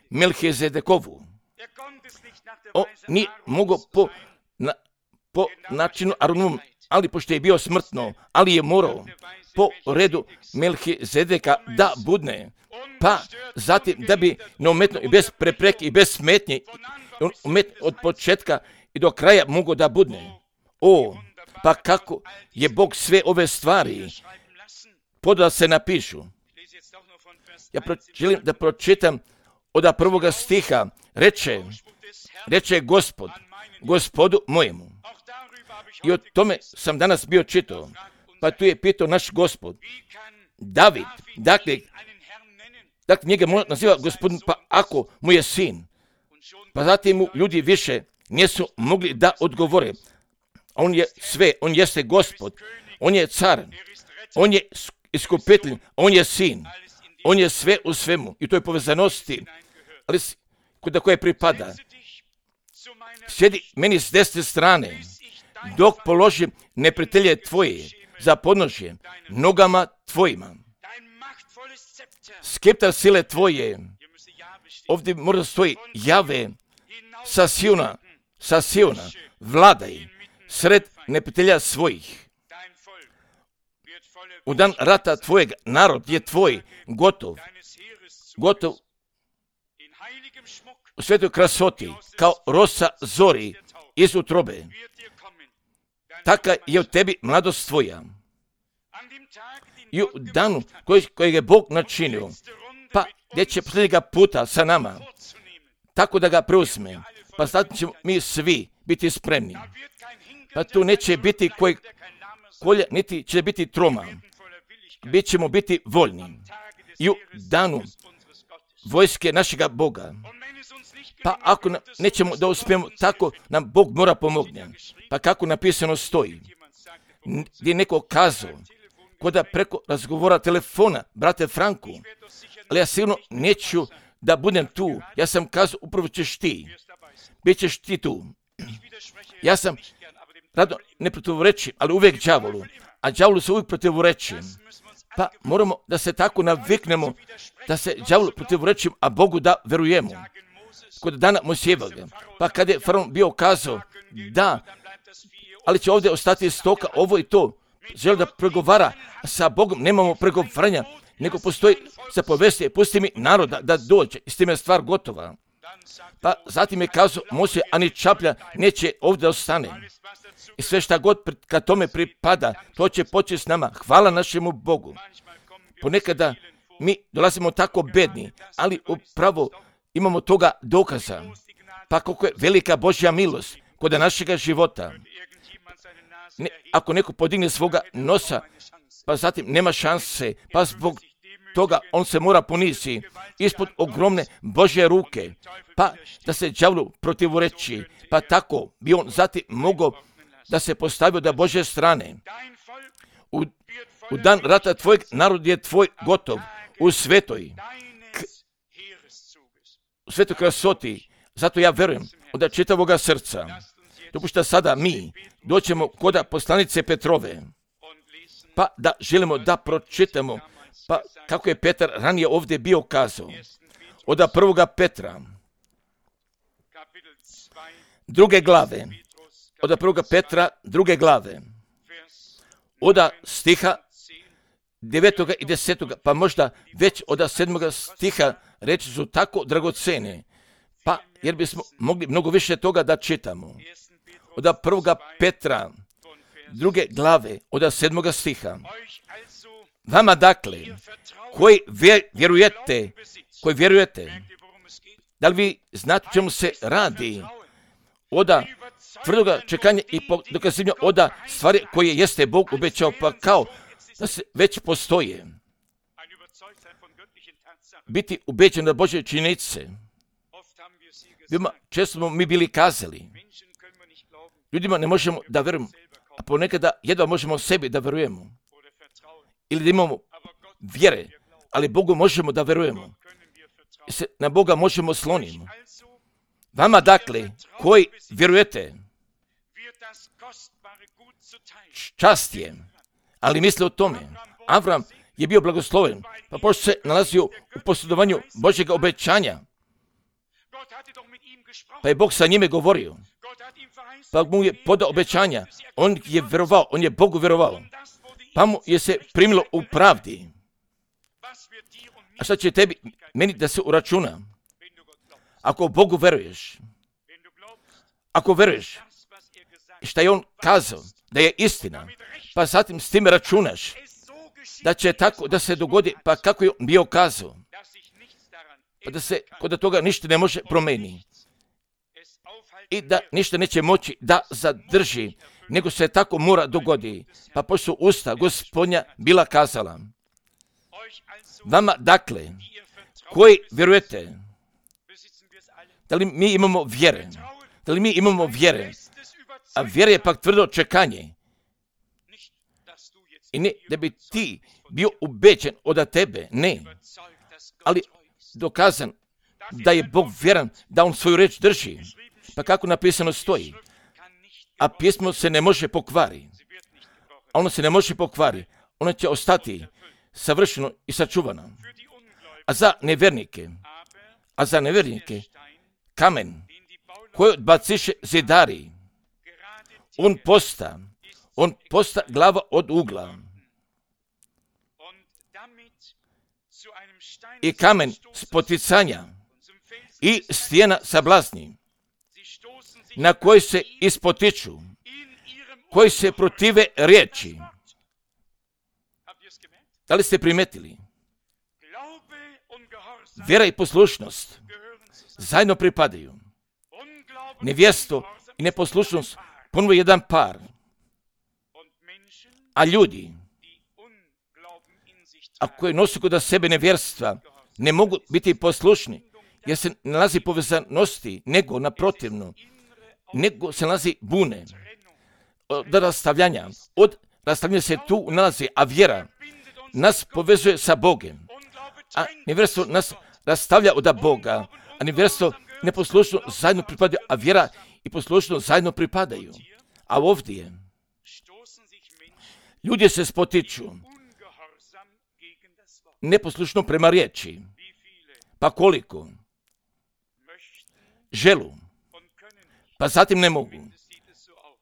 Melhizedekovu. On nije mogao po načinu Aronovom, ali pošto je bio smrtno, ali je morao po redu Melhizedeka da budne, pa zatim da bi neumetno i bez prepreke i bez smetnje od početka i do kraja mogao da budne. Pa kako je Bog sve ove stvari podao da se napišu. Ja želim da pročitam od prvoga stiha. Reče Gospod, Gospodu mojemu. I o tome sam danas bio čitao. Pa tu je pitao naš Gospod. David, dakle njega naziva Gospodin, pa ako mu je sin. Pa zatim mu ljudi više nisu mogli da odgovore. On je sve, on jeste Gospod, on je car, on je iskupitelj, on je sin, on je sve u svemu. I to je povezanosti, ali kod koje pripada. Sjedi meni s desne strane, dok položim neprijatelje tvoje za podnožje nogama tvojima. Skeptar sile tvoje, ovdje možda stoji Jave, sa Siona, vladaj, sred neprijatelja svojih. U dan rata tvojeg narod je tvoj gotov u svetoj krasoti, kao rosa zori iz utrobe. Taka je u tebi mladost tvoja. I u danu kojeg je Bog načinio, pa gdje će posljednjega puta sa nama, tako da ga preuzme, pa sad ćemo mi svi biti spremni. Pa tu neće biti kolja, niti će biti troma. Bit ćemo biti voljni. I u danu vojske našega Boga. Pa ako nećemo da uspijemo, tako nam Bog mora pomogne. Pa kako napisano stoji, gdje je neko kazao, koda preko razgovora telefona, brate Franku, ali ja sigurno neću da budem tu. Ja sam kazao, upravo ćeš ti. Bićeš ti tu. Ja sam rado ne protivreći, ali uvijek đavolu. A đavolu se uvijek protivreći. Pa moramo da se tako naviknemo, da se đavolu protivreći, a Bogu da verujemo. Kod dana Mojsijevog, pa kad je faraon bio kazao, da, ali će ovdje ostati stoka, ovo i to, želi da pregovara sa Bogom, nemamo pregovaranja, nego postoji zapovesti, pusti mi naroda da dođe, i s tim je stvar gotova. Pa zatim je kazao Mojsije, ani čaplja neće ovdje ostane. I sve šta god kad tome pripada, to će početi s nama. Hvala našemu Bogu. Ponekada mi dolazimo tako bedni, ali upravo imamo toga dokaza. Pa koliko je velika Božja milost kod našega života. Ako neko podigne svoga nosa, pa zatim nema šanse, pa zbog toga on se mora poniziti ispod ogromne Božje ruke, pa da se đavlu protivreći, pa tako bi on zatim mogao da se postavio da Božje strane. U dan rata tvojeg narod je tvoj gotov u svetoj krasoti. Zato ja verujem od čitavoga srca. Dopušta sada mi doćemo kod poslanice Petrove, pa da želimo da pročitamo, pa kako je Petar ranije ovdje bio kazao. Od 1. Petra, 2. glave, od 1. Petra 2. glave, od stiha 9. i 10. pa možda već od 7. stiha reči su tako dragocene, pa jer bismo mogli mnogo više toga da čitamo. Od 1. Petra 2. glave, od 7. stiha. Vama dakle, koji vjerujete, da li vi znate o čemu se radi? Od tvrdoga čekanja i dokazivanja od stvari koje jeste Bog obećao, pa kao da se već postoje. Biti ubeđen na Božje činjenice. Često smo mi bili kazali, ljudima ne možemo da verujemo, a ponekada jedva možemo sebi da verujemo. Ili da imamo vjere, ali Bogu možemo da verujemo. I se na Boga možemo sloniti. Vama dakle, koji vjerujete, čast je, ali misle o tome. Avram je bio blagosloven, pa pošto se nalazio u posjedovanju Božjega obećanja, pa je Bog sa njime govorio, pa mu je podao obećanja, on je verovao, on je Bogu verovao, pa mu je se primilo u pravdi. A šta će tebi, meni da se uračuna? Ako Bogu veruješ, ako veruješ šta je on kazao, da je istina, pa zatim s tim računaš, da će tako da se dogodi, pa kako je on bio kazao, pa da se kod toga ništa ne može promeniti i da ništa neće moći da zadrži, nego se tako mora dogodi. Pa pošto su usta Gospodnja bila kazala, vama dakle, koji vjerujete, da li mi imamo vjere? Da li mi imamo vjere? A vjera je pak tvrdo čekanje. I ne da bi ti bio ubeđen od tebe, ne. Ali dokazan da je Bog vjeran, da on svoju reč drži. Pa kako napisano stoji? A pismo se ne može pokvari. A ono se ne može pokvari. Ono će ostati savršeno i sačuvano. A za nevjernike, kamen koji odbaciše zidari, on posta glava od ugla. I kamen spoticanja i stijena sablazni, na koji se ispotiču, koji se protive riječi. Da li ste primetili? Vjera i poslušnost zajedno pripadaju. Nevjesto i neposlušnost ponovo jedan par. A ljudi, a koji nosi kod sebe nevjerstva, ne mogu biti poslušni, jer se nalazi povezanosti, nego naprotivno, nego se nalazi bune od rastavljanja. Od rastavljanja se tu nalazi, a vjera nas povezuje sa Bogom. A nevjerstvo nas rastavlja od Boga, a nevjerstvo i neposlušnost zajedno pripadaju, a vjera i poslušnost zajedno pripadaju. A ovdje ljudi se spotiču neposlušno prema riječi. Pa koliko? Želu. Pa zatim ne mogu.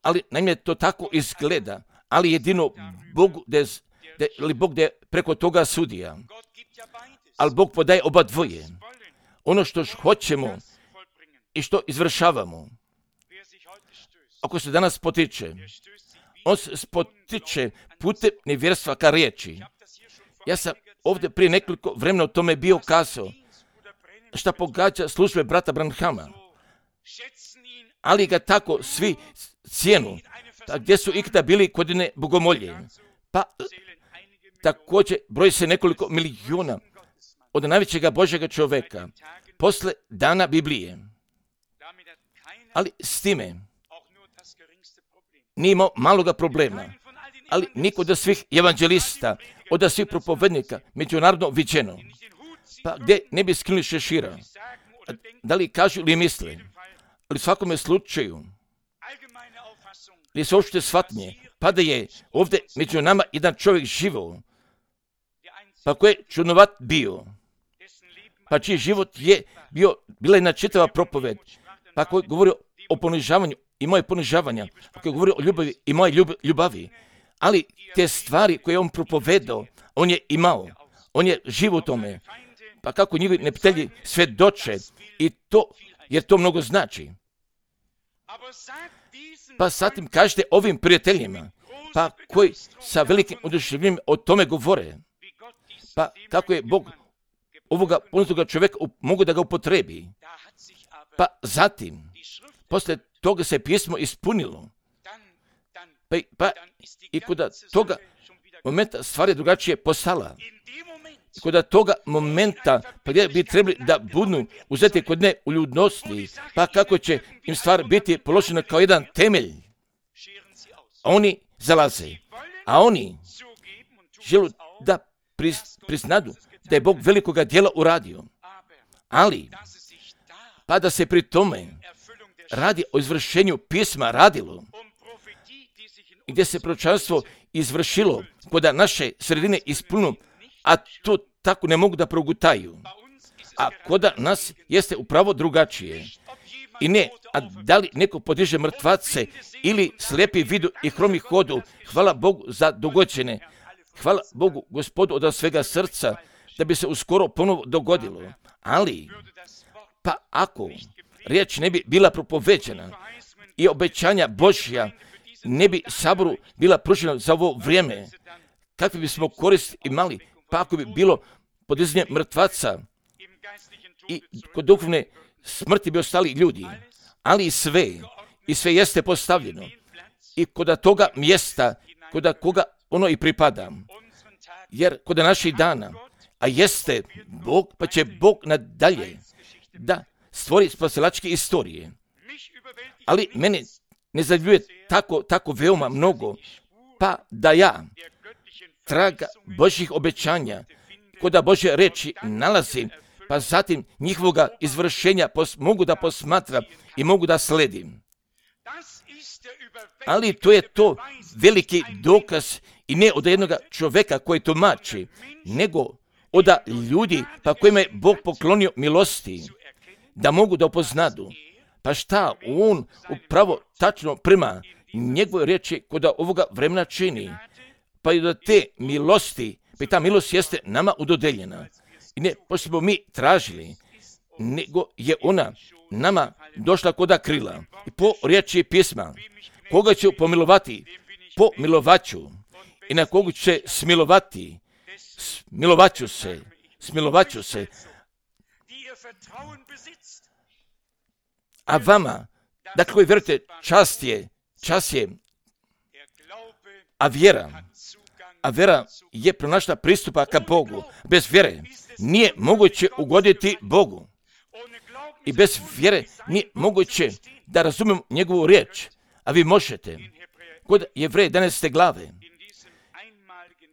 Ali naime to tako izgleda. Ali jedino Bog da preko toga sudija. Ali Bog podaje oba dvoje. Ono što hoćemo i što izvršavamo. Ako se danas potiče, on se spotiče putem nevjerstva ka riječi. Ja sam ovdje prije nekoliko vremena o tome bio kazao, šta pogađa službe brata Branhama. Ali ga tako svi cijenu, pa gdje su ikada bili godine bogomolje. Pa također broji se nekoliko milijuna od najvećega Božjega čovjeka posle dana Biblije. Ali s time nije imao maloga problema. Ali niko od svih evanđelista, od svih propovednika, međunarodno viđeno. Pa gdje ne bi skinuli šešira? Da li kažu ili misle? Ali u svakome slučaju, li se uopšte shvatnje, pa da je ovdje među nama jedan čovjek živao, pa koji je čudnovat bio, pa čiji život je bila jedna čitava propoved, pa koji je govorio o ponižavanju i moje ponižavanja, ako je govorio o ljubavi i moje ljubavi, ali te stvari koje on propovedao, on je imao, on je živ u tome. Pa kako njihovi neprijatelji svjedoče i to, jer to mnogo znači. Pa zatim kažete ovim prijateljima, pa koji sa velikim oduševljenjem o tome govore, pa kako je Bog ovoga ponetoga čovjeka mogu da ga upotrebi. Pa zatim, poslije toga se pismo ispunilo. Pa i kod toga momenta stvar je drugačije postala. I kod toga momenta pa gdje bi trebali da budu uzeti kod ne u ljudnosti, pa kako će im stvar biti položena kao jedan temelj. A oni zalaze, a oni žele da priznadu da je Bog velikoga djela uradio. Ali, pa da se pri tome radi o izvršenju pisma radilo, gdje se proročanstvo izvršilo kod naše sredine ispunilo, a to tako ne mogu da progutaju. A kod nas jeste upravo drugačije. I ne, a da li neko podiže mrtvace ili slijepi vidu i hromi hodu, hvala Bogu za dogođene. Hvala Bogu, Gospodu, od svega srca, da bi se uskoro ponovo dogodilo. Ali, pa ako riječ ne bi bila propoveđena i obećanja Božja ne bi saboru bila pružena za ovo vrijeme, kakvi bismo korist imali, pa ako bi bilo podizanje mrtvaca i kod duhovne smrti bi ostali ljudi, ali i sve jeste postavljeno i kod toga mjesta, kod koga ono i pripada. Jer kod naših dana, a jeste Bog, pa će Bog nadalje da stvori spasilačke istorije. Ali mene ne zadljuje tako veoma mnogo, pa da ja traga Božjih obećanja kod Božje reči nalazim, pa zatim njihovoga izvršenja mogu da posmatram i mogu da sledim. Ali to je to veliki dokaz i ne od jednog čovjeka koji tumači, nego od ljudi pa kojima je Bog poklonio milosti, da mogu da upoznadu. Pa šta on upravo tačno prema njegove riječi kod ovoga vremena čini. Pa i do te milosti, pa ta milost jeste nama udodeljena. I ne pošto smo mi tražili, nego je ona nama došla koda krila. I po riječi pisma, koga ću pomilovati, pomilovaću. I na koga će smilovati, smilovaću se. A vama, dakle koji vjerujete, čast je, a vjera je pronašla pristupa ka Bogu. Bez vjere nije moguće ugoditi Bogu. I bez vjere nije moguće da razumemo njegovu riječ. A vi možete. Kod Jevreja 11. glave,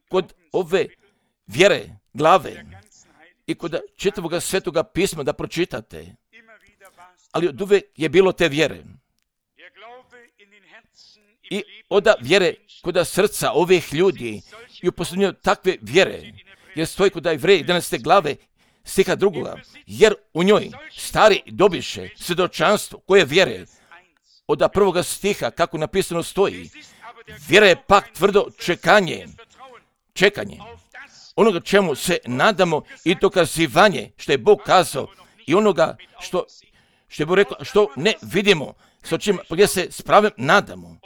kod ove vjere glave i kod čitavoga svetoga pisma da pročitate. Ali od uvek je bilo te vjere. I od vjere kod srca ovih ljudi i uposljednju takve vjere, jer stoji kod Jevreja 11. glave stiha 2. Jer u njoj stari dobiše svjedočanstvo koje vjere od prvoga stiha, kako napisano stoji. Vjera je pak tvrdo čekanje onoga čemu se nadamo i dokazivanje što je Bog kazao i onoga što je Bog rekao, što ne vidimo, s očima gdje se s pravem nadamo,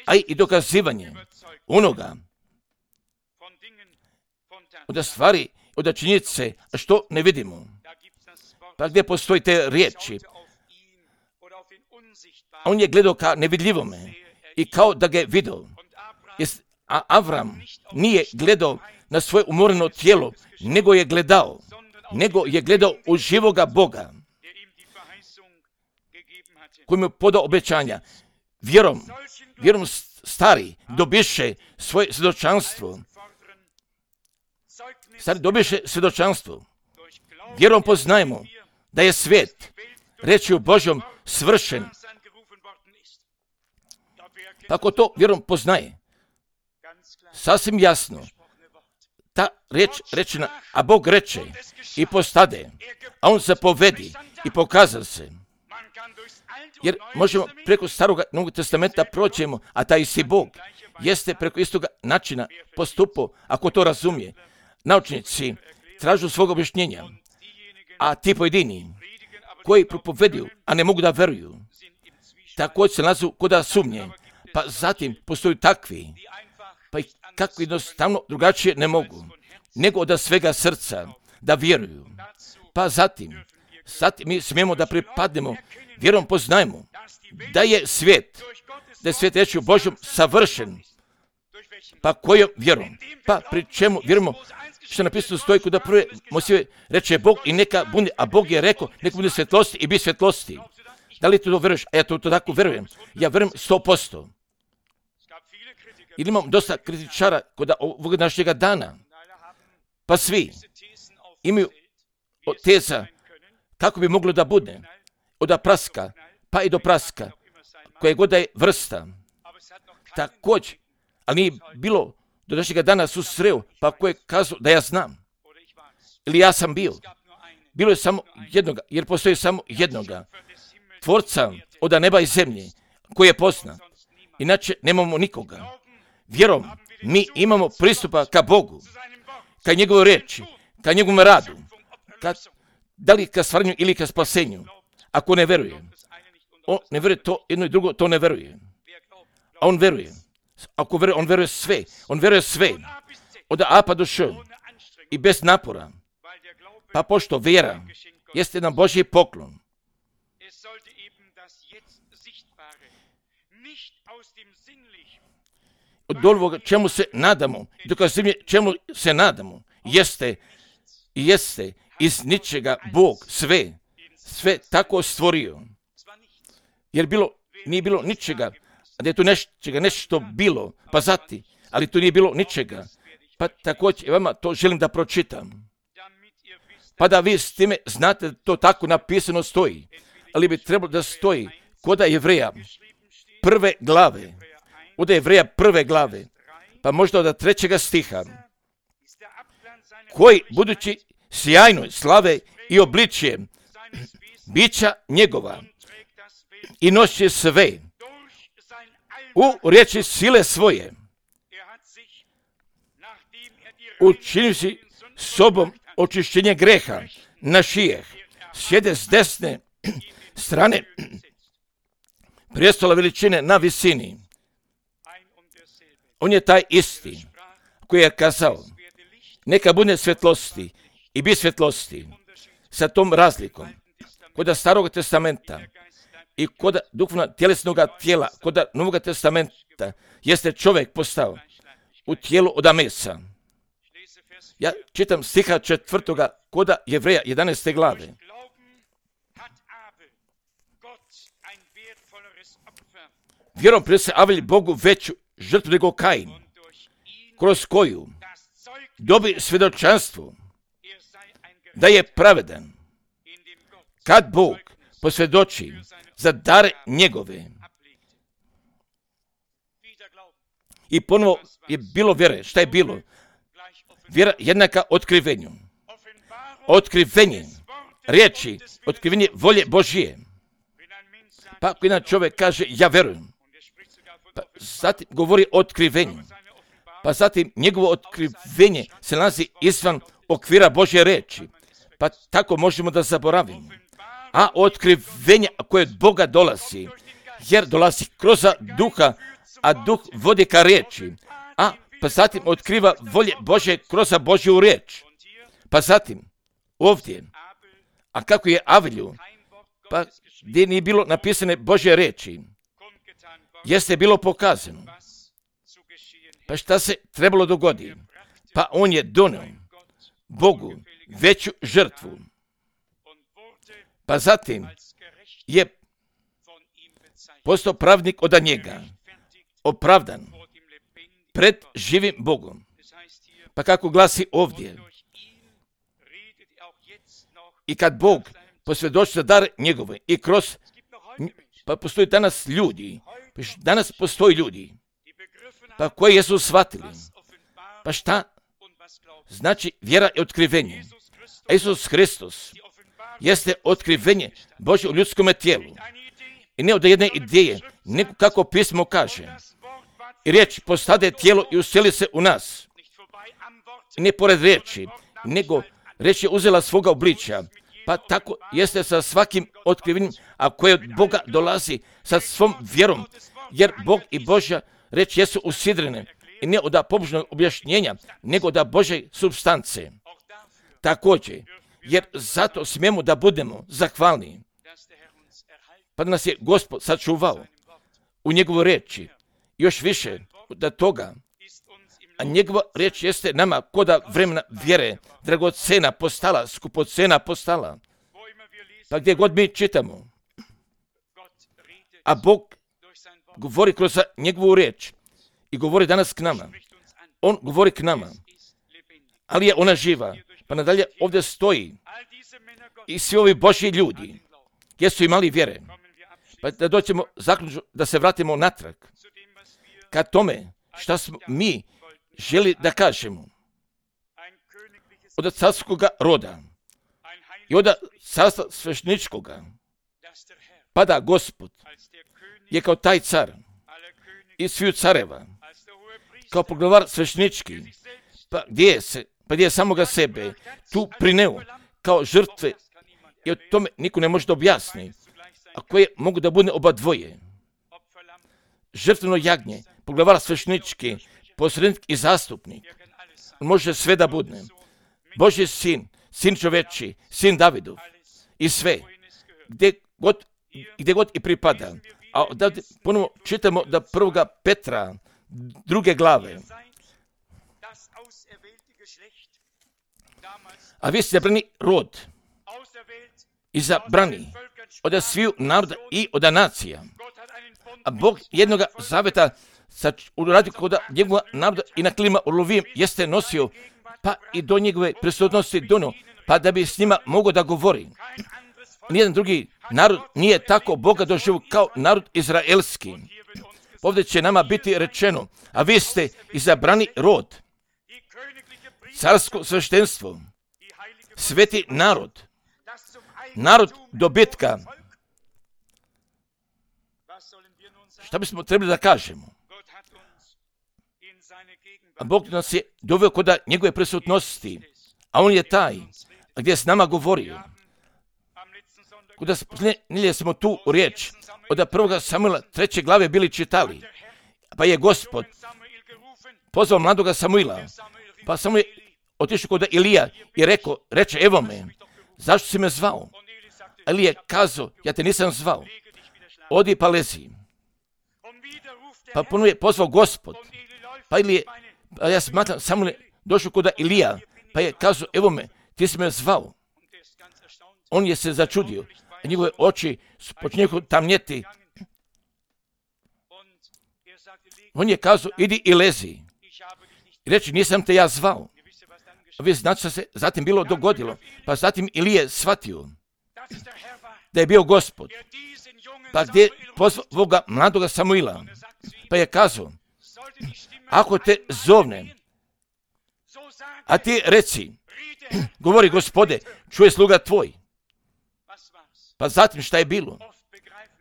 a i dokazivanje onoga od stvari, od činjenice, što ne vidimo. Pa gdje postoji te riječi? On je gledao ka nevidljivome i kao da ga je vidio. A Avram nije gledao na svoje umoreno tijelo, nego je gledao u živoga Boga, koji mu je podao obećanja. Vjerom stari dobiše svoje svjedočanstvo. Stari dobiše svjedočanstvo. Vjerom poznajemo da je svijet rečju Božjom svršen. Tako to vjerom poznaje. Sasvim jasno. Ta riječ rečena, a Bog reče i postade, a on zapovedi i pokazao se. Jer možemo preko Starog Novog testamenta proćemo, a taj isti Bog jeste preko istoga načina postupao, ako to razumije. Naučnici tražu svog objašnjenja, a ti pojedini koji propoveduju, a ne mogu da veruju, također se nalazu kod sumnje. Pa zatim postoju takvi, pa i kako jednostavno drugačije ne mogu, nego od svega srca da vjeruju. Pa zatim mi smijemo da pripadnemo, vjerom poznajemo da je svijet rečju Božjom savršen. Pa kojom vjerom? Pa pri čemu vjerujemo? Što napisano stoji kod prve Mojsije reče Bog i neka bude, a Bog je rekao neka bude svjetlosti i bi svjetlosti. Da li to veruješ? A ja to tako verujem. Ja verujem 100%. Ili imam dosta kritičara kod ovog našega dana. Pa svi imaju teza kako bi moglo da bude. Od praska, pa i do praska, koje god da je vrsta. Također, ali nije bilo do našega dana susreo, pa ko je kazao da ja znam. Ili ja sam bio. Bilo je samo jednoga, jer postoji samo jednoga. Tvorca od neba i zemlje, koji je poznat. Inače, nemamo nikoga. Vjerom, mi imamo pristupa ka Bogu, ka njegovoj reči, ka njegovom radu, da li ka stvaranju ili ka spasenju. Ako ne veruje, on ne veruje to jedno i drugo, to ne veruje. A on veruje. Ako veruje, on veruje sve. On veruje sve. Od A pa do Š. I bez napora. Pa pošto vjera jeste jedan Božji poklon. Od ovoga čemu se nadamo, dokazivanje čemu se nadamo, jeste iz ničega Bog sve tako stvorio. Jer nije bilo ničega, a da je tu nešto bilo, pa zati, ali tu nije bilo ničega. Pa također vama to želim da pročitam. Pa da vi s time znate da to tako napisano stoji, ali bi trebalo da stoji kod Jevreja prve glave, od Jevreja prve glave, pa možda od 3. stiha, koji budući sjajnoj slave i obličje bića njegova i nosi sve u riječi sile svoje, učinivši sobom očišćenje greha našijeh, sjede s desne strane prijestola veličine na visini. On je taj isti koji je kazao neka bude svjetlosti i bi svjetlosti, sa tom razlikom kod Starog testamenta i kod duhovno tjelesnog tijela, kod Novog testamenta jeste čovjek postao u tijelu od mesa. Ja čitam stiha 4. kod Jevreja 11. glave. Vjerom prinese Avelj Bogu veću žrtvu nego Kain, kroz koju dobi svjedočanstvo da je pravedan, kad Bog posvjedoči za dare njegove. I ponovo je bilo vjere. Šta je bilo? Vjera jednaka otkrivenju. Otkrivenje riječi, otkrivenje volje Božije. Pa ako jedan čovjek kaže ja verujem, pa zatim govori o otkrivenju, pa zatim njegovo otkrivenje se nalazi izvan okvira Božje reči, pa tako možemo da zaboravimo. A otkrivenje koje od Boga dolazi, jer dolazi kroz duha, a duh vodi ka riječi, a pa zatim otkriva volje Božje kroz Božju riječ. Pa zatim ovdje, a kako je Avelju, pa gdje nije bilo napisane Božje riječi, jeste bilo pokazano. Pa šta se trebalo dogoditi? Pa on je donio Bogu veću žrtvu. Pa zatim je postao pravnik od njega, opravdan pred živim Bogom. Pa kako glasi ovdje, i kad Bog posvjedoči za dar njegove i kroz, pa postoji danas postoji ljudi, pa koji jesu shvatili, pa šta znači vjera i otkrivenje. A Isus Hristos jeste otkrivenje Božje u ljudskom tijelu. I ne od jedne ideje, nego kako pismo kaže. I riječ postade tijelo i useli se u nas. I ne pored riječi, nego riječ je uzela svoga obličja. Pa tako jeste sa svakim otkrivenjem, a koje od Boga dolazi sa svom vjerom. Jer Bog i Božja riječ jesu usidrene. I ne od pobožnog objašnjenja, nego od Božje supstance. Također, jer zato smijemo da budemo zahvalni. Pa da nas je Gospod sačuvao u njegovoj riječi. Još više od toga. A njegova riječ jeste nama koda vremena vjere, dragocena postala, skupocena postala. Pa gdje god mi čitamo, a Bog govori kroz njegovu riječ i govori danas k nama. On govori k nama, ali je ona živa. Pa nadalje ovdje stoji i svi ovi Božji ljudi, gdje su imali vjere. Pa da doćemo zaključno, da se vratimo natrag ka tome šta smo mi želi da kažemo. Od carskog roda i od carstva svešničkoga. Pa da Gospod je kao taj car i sviju careva, kao poglavar svešnički, pa gdje je samoga sebe tu prineo kao žrtve i o tome niko ne može da objasni, a koje mogu da bude oba dvoje. Žrtveno jagnje, poglavar svešnički, posrednik i zastupnik. On može sve da bude. Božji sin, sin čoveči, sin Davidov i sve, gdje god i pripada. A da ponovo čitamo da 1. Petra, 2. glave. A vi ste izabrani rod, izabrani od sviju naroda i od nacija. A Bog jednoga zaveta uradio kod njegova naroda i na klima Olovijem jeste nosio, pa i do njegove prisutnosti dono, pa da bi s njima mogao da govori. Nijedan drugi narod nije tako Boga doživio kao narod izraelski. Ovdje će nama biti rečeno, a vi ste izabrani rod, carsko sveštenstvo, sveti narod, narod dobitka. Šta bismo trebali da kažemo? A Bog nas je doveo kod njegove prisutnosti, a on je taj gdje je s nama govorio. Kuda smo tu riječ od 1. Samuila 3. glave bili čitali, pa je Gospod pozvao mladoga Samuila, pa Samuil je otišao kod Ilija i reče, evo me, zašto si me zvao? Ali je kazao, ja te nisam zvao, odi pa lezi. Pa ponovno je pozvao Gospod, pa ja smatram, Samuil je došao kod Ilija, pa je kazao, evo me, ti si me zvao. On je se začudio, a njegove oči počinju tamnjeti. On je kazao, idi i lezi. I reći, nisam te ja zvao. A vi znate što se zatim bilo dogodilo. Pa zatim Ilije shvatio da je bio Gospod. Pa gdje je pozvao ovoga mladoga Samuila. Pa je kazao, ako te zovne, a ti reci, govori Gospode, čuje sluga tvoj. Pa zatim šta je bilo?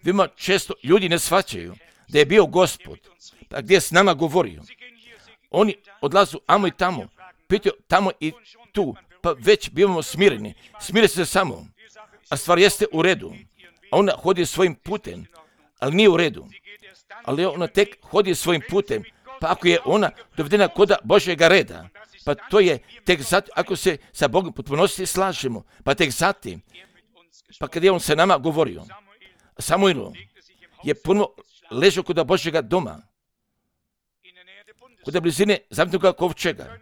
Vima često ljudi ne shvaćaju da je bio Gospod, pa gdje je s nama govorio. Oni odlazu amo i tamo, pitaju tamo i tu, pa već bivamo smireni. Smire se samo, a stvar jeste u redu. A ona hodi svojim putem, ali nije u redu. Ali ona tek hodi svojim putem, pa ako je ona dovedena kod Božjega reda, pa to je tek zatim, ako se sa Bogom potpunosti slažemo, pa tek zatim, pa kad je on se nama govorio, Samuilo je puno ležao kod Božjega doma, kod blizine zavetnog kovčega.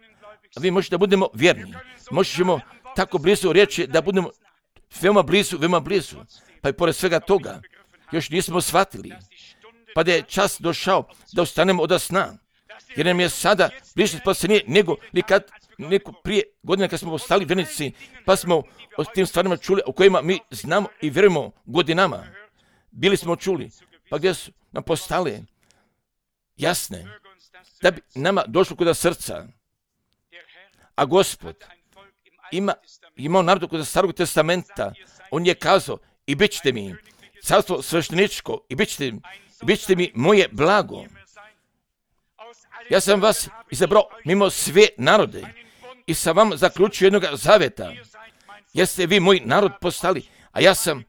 A vi možete da budemo vjerni. Možemo tako blizu reći da budemo veoma blizu. Pa i pored svega toga, još nismo shvatili. Pa da je čas došao da ustanemo od sna. Jer nam je sada bliže spasenije nego prije godine kad smo ostali vjernici, pa smo o tim stvarima čuli o kojima mi znamo i vjerujemo godinama. Bili smo čuli, pa gdje su nam postale jasne, da bi nama došlo kod srca. A Gospod imao narod kod Starog testamenta, on je kazao, i bit ćete mi carstvo svešteničko i bit ćete mi moje blago. Ja sam vas izabrao mimo sve narode i sam vam zaključio jednog zaveta. Jeste vi moj narod postali, a ja sam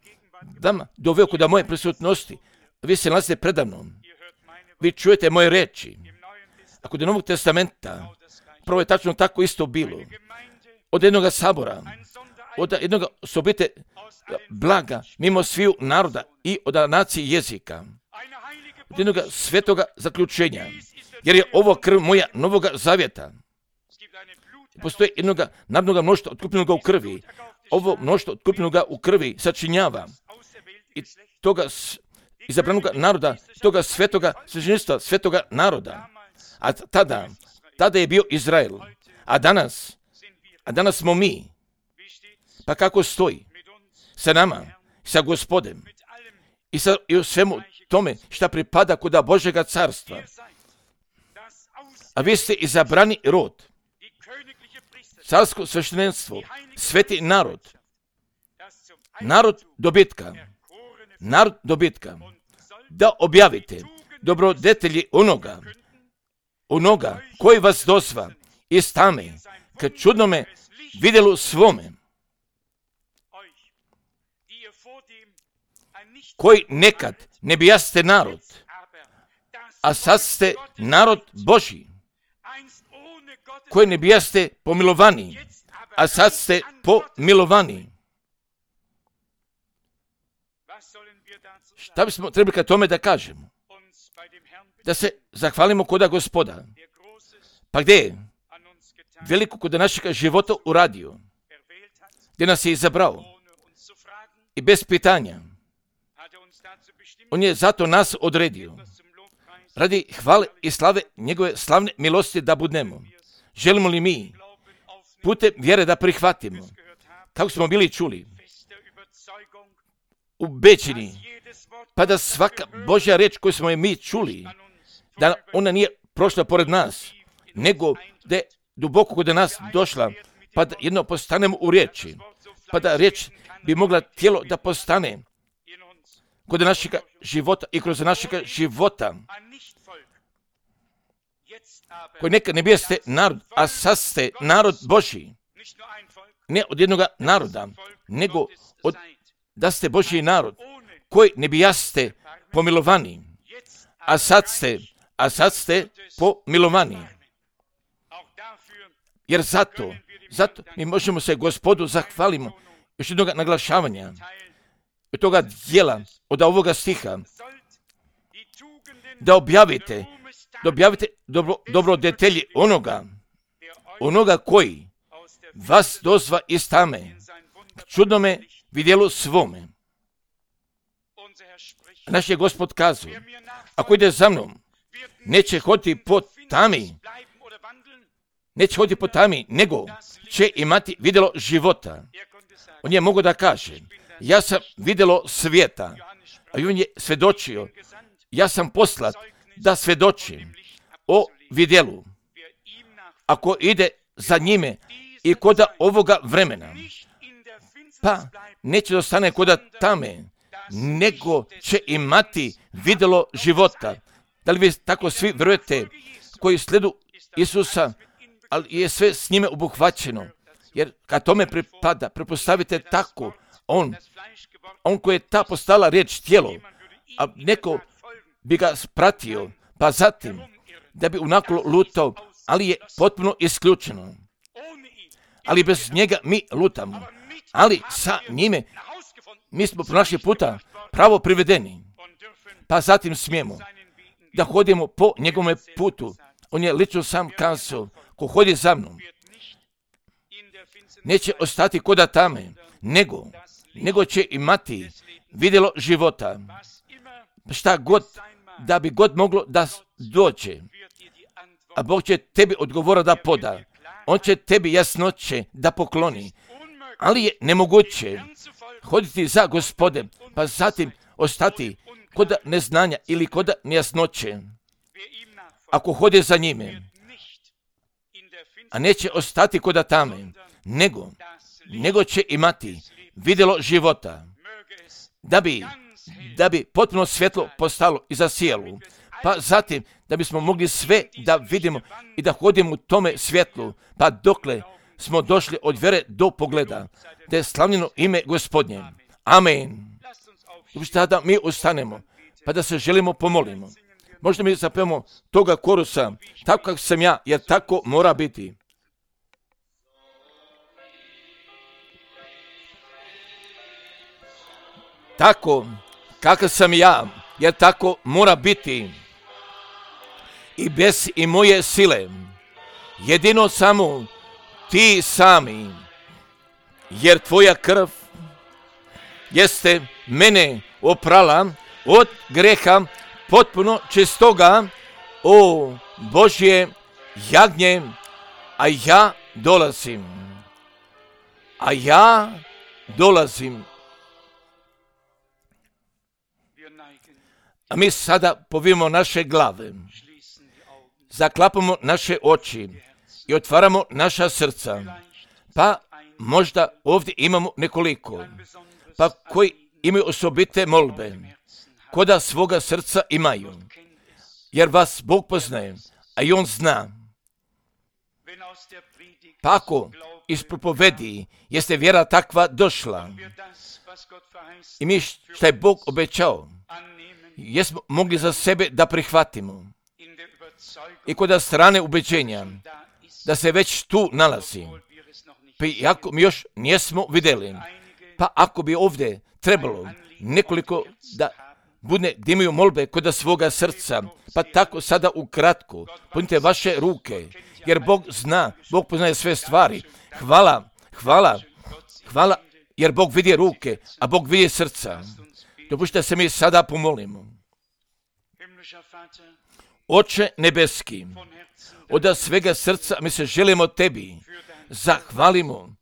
vama doveo kod moje prisutnosti. Vi se nalazite predamnom. Vi čujete moje reči. A kod Novog testamenta, prvo je tačno tako isto bilo. Od jednog sabora, od jednog osobite blaga, mimo sviju naroda i od nacije jezika. Od jednog svetoga zaključenja. Jer je ovo krv moja novoga zavjeta. Postoji jednog narodnog mnoštva otkupljenoga u krvi. Ovo mnoštvo otkupljenoga u krvi sačinjava i toga izabranog naroda, toga svetoga svećeništva, svetoga naroda. A tada je bio Izrael. A danas smo mi. Pa kako stoji? Sa nama, sa Gospodem i u svemu tome šta pripada kuda Božjega carstva. A vi ste izabrani rod, carsko sveštenstvo, sveti narod, narod dobitka, da objavite dobrodetelji onoga koji vas dozva iz tame ka čudnome vidjelu svome, koji nekad ne bijaste narod, a sad ste narod Božji, koji ne bijaste pomilovani, a sad ste pomilovani. Šta bismo trebali ka tome da kažemo? Da se zahvalimo koda Gospoda. Pa gdje je? Veliko kod našega života uradio, gdje nas je izabrao i bez pitanja. On je zato nas odredio, radi hvale i slave njegove slavne milosti da budemo. Želimo li mi putem vjere da prihvatimo, kako smo bili čuli, ubeđeni, pa da svaka Božja reč koju smo je mi čuli, da ona nije prošla pored nas, nego da je duboko kod nas došla, pa da jedno postanemo u riječi, pa da riječ bi mogla tijelo da postane kod našega života i kroz našega života, koji nekad ne bijaste narod, a sad ste narod Božji. Ne od jednog naroda, nego da ste Božji narod, koji ne bijaste pomilovani, a sad ste pomilovani. Jer zato mi možemo se Gospodu zahvalimo još jednog naglašavanja od toga dijela, od ovoga stiha, da objavite dobrodetelji onoga koji vas dozva iz tame k čudnome vidjelu svome. Naš je Gospod kazao, ako ide za mnom, neće hoditi po tami, nego će imati vidjelo života. On je mogao da kaže, ja sam vidjelo svijeta, a on je svedočio, ja sam poslat da svedočim o vidjelu. Ako ide za njime i koda ovoga vremena, pa neće dostane koda tame, nego će imati vidjelo života. Da li vi tako svi vjerujete koji sledu Isusa, ali je sve s njime obuhvaćeno? Jer kad tome pripada, prepostavite tako, on koji je ta postala riječ tijelo, a neko bi ga pratio, pa zatim da bi unakolo lutao, ali je potpuno isključeno. Ali bez njega mi lutamo, ali sa njime mi smo pronašli puta pravo privedeni, pa zatim smijemo da hodimo po njegovom putu. On je lično sam kazao, ko hodi za mnom, neće ostati koda tame, nego će imati vidjelo života. Šta god, da bi god moglo da dođe, a Bog će tebi odgovora da poda. On će tebi jasnoće da pokloni, ali je nemoguće hoditi za Gospodem, pa zatim ostati kod neznanja ili kod nejasnoće. Ako hodi za njime, a neće ostati kod tame, nego će imati vidjelo života, da bi da bi potpuno svjetlo postalo i zasijalo. Pa zatim, da bismo mogli sve da vidimo i da hodimo u tome svjetlu, pa dokle smo došli od vjere do pogleda, da je slavljeno ime Gospodnje. Amen. Tada mi ustanemo, pa da se želimo pomolimo. Možda mi zapevamo toga korusa, tako kako sam ja, jer tako mora biti. Tako kakav sam ja, jer tako mora biti. I bez i moje sile, jedino samo ti sami, jer tvoja krv jeste mene oprala od greha potpuno čistoga, o Božje jagnje, a ja dolazim. A mi sada povijemo naše glave, zaklapamo naše oči i otvaramo naša srca. Pa možda ovdje imamo nekoliko, pa koji imaju osobite molbe, koda svoga srca imaju, jer vas Bog poznaje, a i On zna. Pa ako iz propovedi jeste vjera takva došla i mi što je Bog obećao, jesmo mogli za sebe da prihvatimo. I kod strane ubeđenja, da se već tu nalazi, pa iako mi još nismo vidjeli, pa ako bi ovdje trebalo nekoliko da bude da imaju molbe kod svoga srca, pa tako sada ukratko, punite vaše ruke, jer Bog zna, Bog poznaje sve stvari. Hvala, jer Bog vidi ruke, a Bog vidi srca. Dopušte se mi sada pomolimo. Oče nebeski, od svega srca mi se želimo tebi, zahvalimo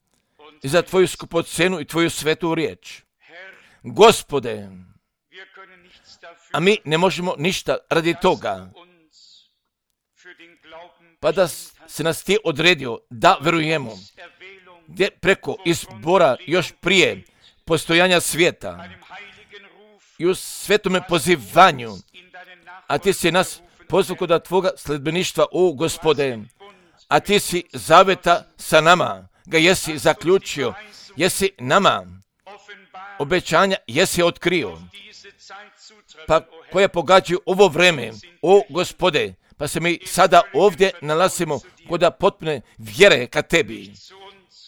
i za tvoju skupocenu i tvoju svetu riječ. Gospode, a mi ne možemo ništa radi toga, pa da se nas ti odredio da verujemo, gdje preko izbora još prije postojanja svijeta i u svetome pozivanju, a ti si nas pozvao kod tvoga sledbeništva, o Gospode, a ti si zaveta sa nama, ga jesi zaključio, jesi nama obećanja, jesi otkrio, pa koje pogađaju ovo vreme, o Gospode, pa se mi sada ovdje nalazimo kod potpune vjere ka tebi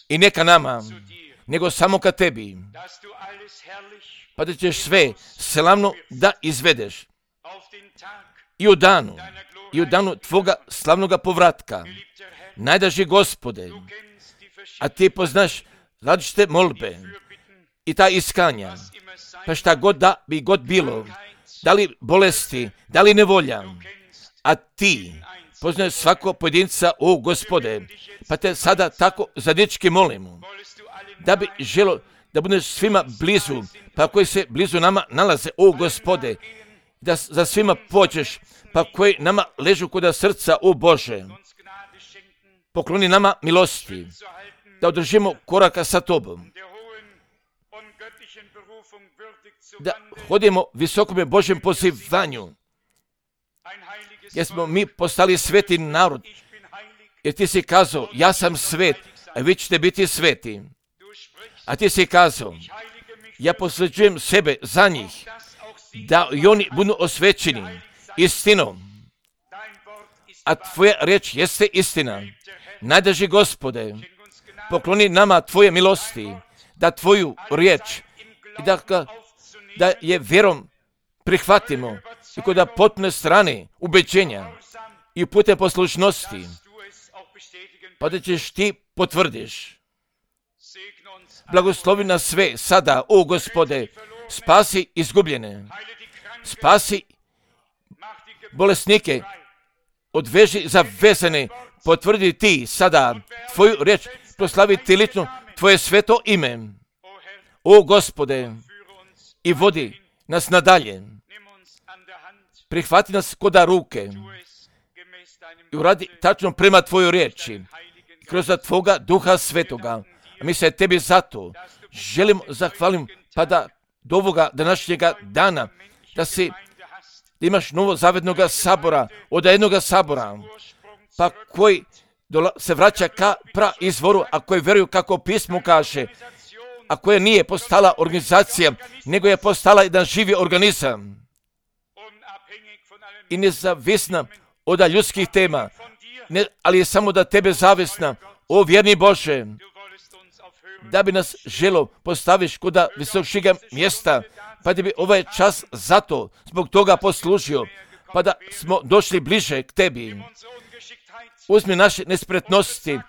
i ne ka nama, nego samo ka tebi, pa da ćeš sve slavno da izvedeš i u danu tvoga slavnoga povratka. Najdraži Gospode, a ti poznaš različite molbe i ta iskanja, pa šta god da bi god bilo, da li bolesti, da li nevolja, a ti poznaš svako pojedinca, o Gospode, pa te sada tako zadečki molimo, da bi želo da budeš svima blizu, pa koji se blizu nama nalaze, o Gospode, da za svima pođeš, pa koji nama ležu kod srca, o Bože, pokloni nama milosti, da održimo koraka sa tobom, da hodimo visokome Božjem pozivanju, jer smo mi postali sveti narod, jer ti si kazao, ja sam svet, a vi ćete biti sveti. A ti si kazao, ja posvećujem sebe za njih, da i oni budu osvećeni istinom, a tvoja riječ jeste istina. Najdraži Gospode, pokloni nama tvoje milosti, da tvoju riječ i da je vjerom prihvatimo i kod potpune strane ubeđenja i putem poslušnosti, pa da ćeš ti potvrdiš. Blagoslovi nas sve sada, o Gospode, spasi izgubljene, spasi bolesnike, odveži zavezane, potvrdi ti sada tvoju riječ, proslavi ti lično tvoje sveto ime, o Gospode, i vodi nas nadalje. Prihvati nas koda ruke i uradi tačno prema tvojoj riječi, kroz tvoga duha svetoga. A mi se tebi zato želimo zahvalim, pa da do ovoga današnjega dana, da imaš novozavetnog sabora, od jednoga sabora, pa koji se vraća ka izvoru, a koji vjeruju kako pismo kaže, a koja nije postala organizacija, nego je postala jedan živi organizam i nezavisna od ljudskih tema, ali je samo da tebe zavisna, o vjerni Bože, da bi nas želo postaviš kod visokšega mjesta, pa da bi ovaj čas zato zbog toga poslužio, pa da smo došli bliže k tebi. Uzmi naše nespretnosti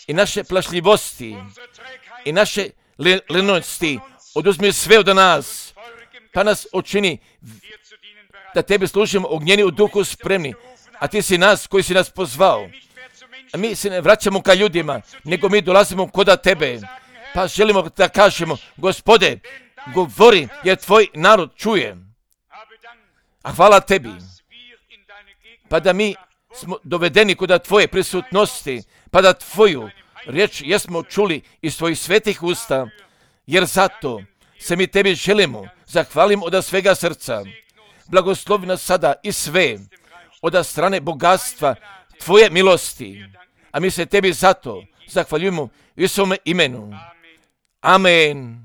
i naše plašljivosti i naše lenosti, oduzmi sve od nas, pa nas učini da tebi služimo ognjeni u duhu spremni, a ti si nas koji si nas pozvao. A mi se ne vraćamo ka ljudima, nego mi dolazimo koda tebe, pa želimo da kažemo, Gospode, govori jer tvoj narod čuje. A hvala tebi, pa da mi smo dovedeni kod tvoje prisutnosti, pa da tvoju riječ jesmo čuli iz tvojih svetih usta, jer zato se mi tebi želimo, zahvalim od svega srca. Blagoslovi nas sada i sve od strane bogatstva tvoje milosti, a mi se tebi zato zahvaljujemo u svome imenu. Amen.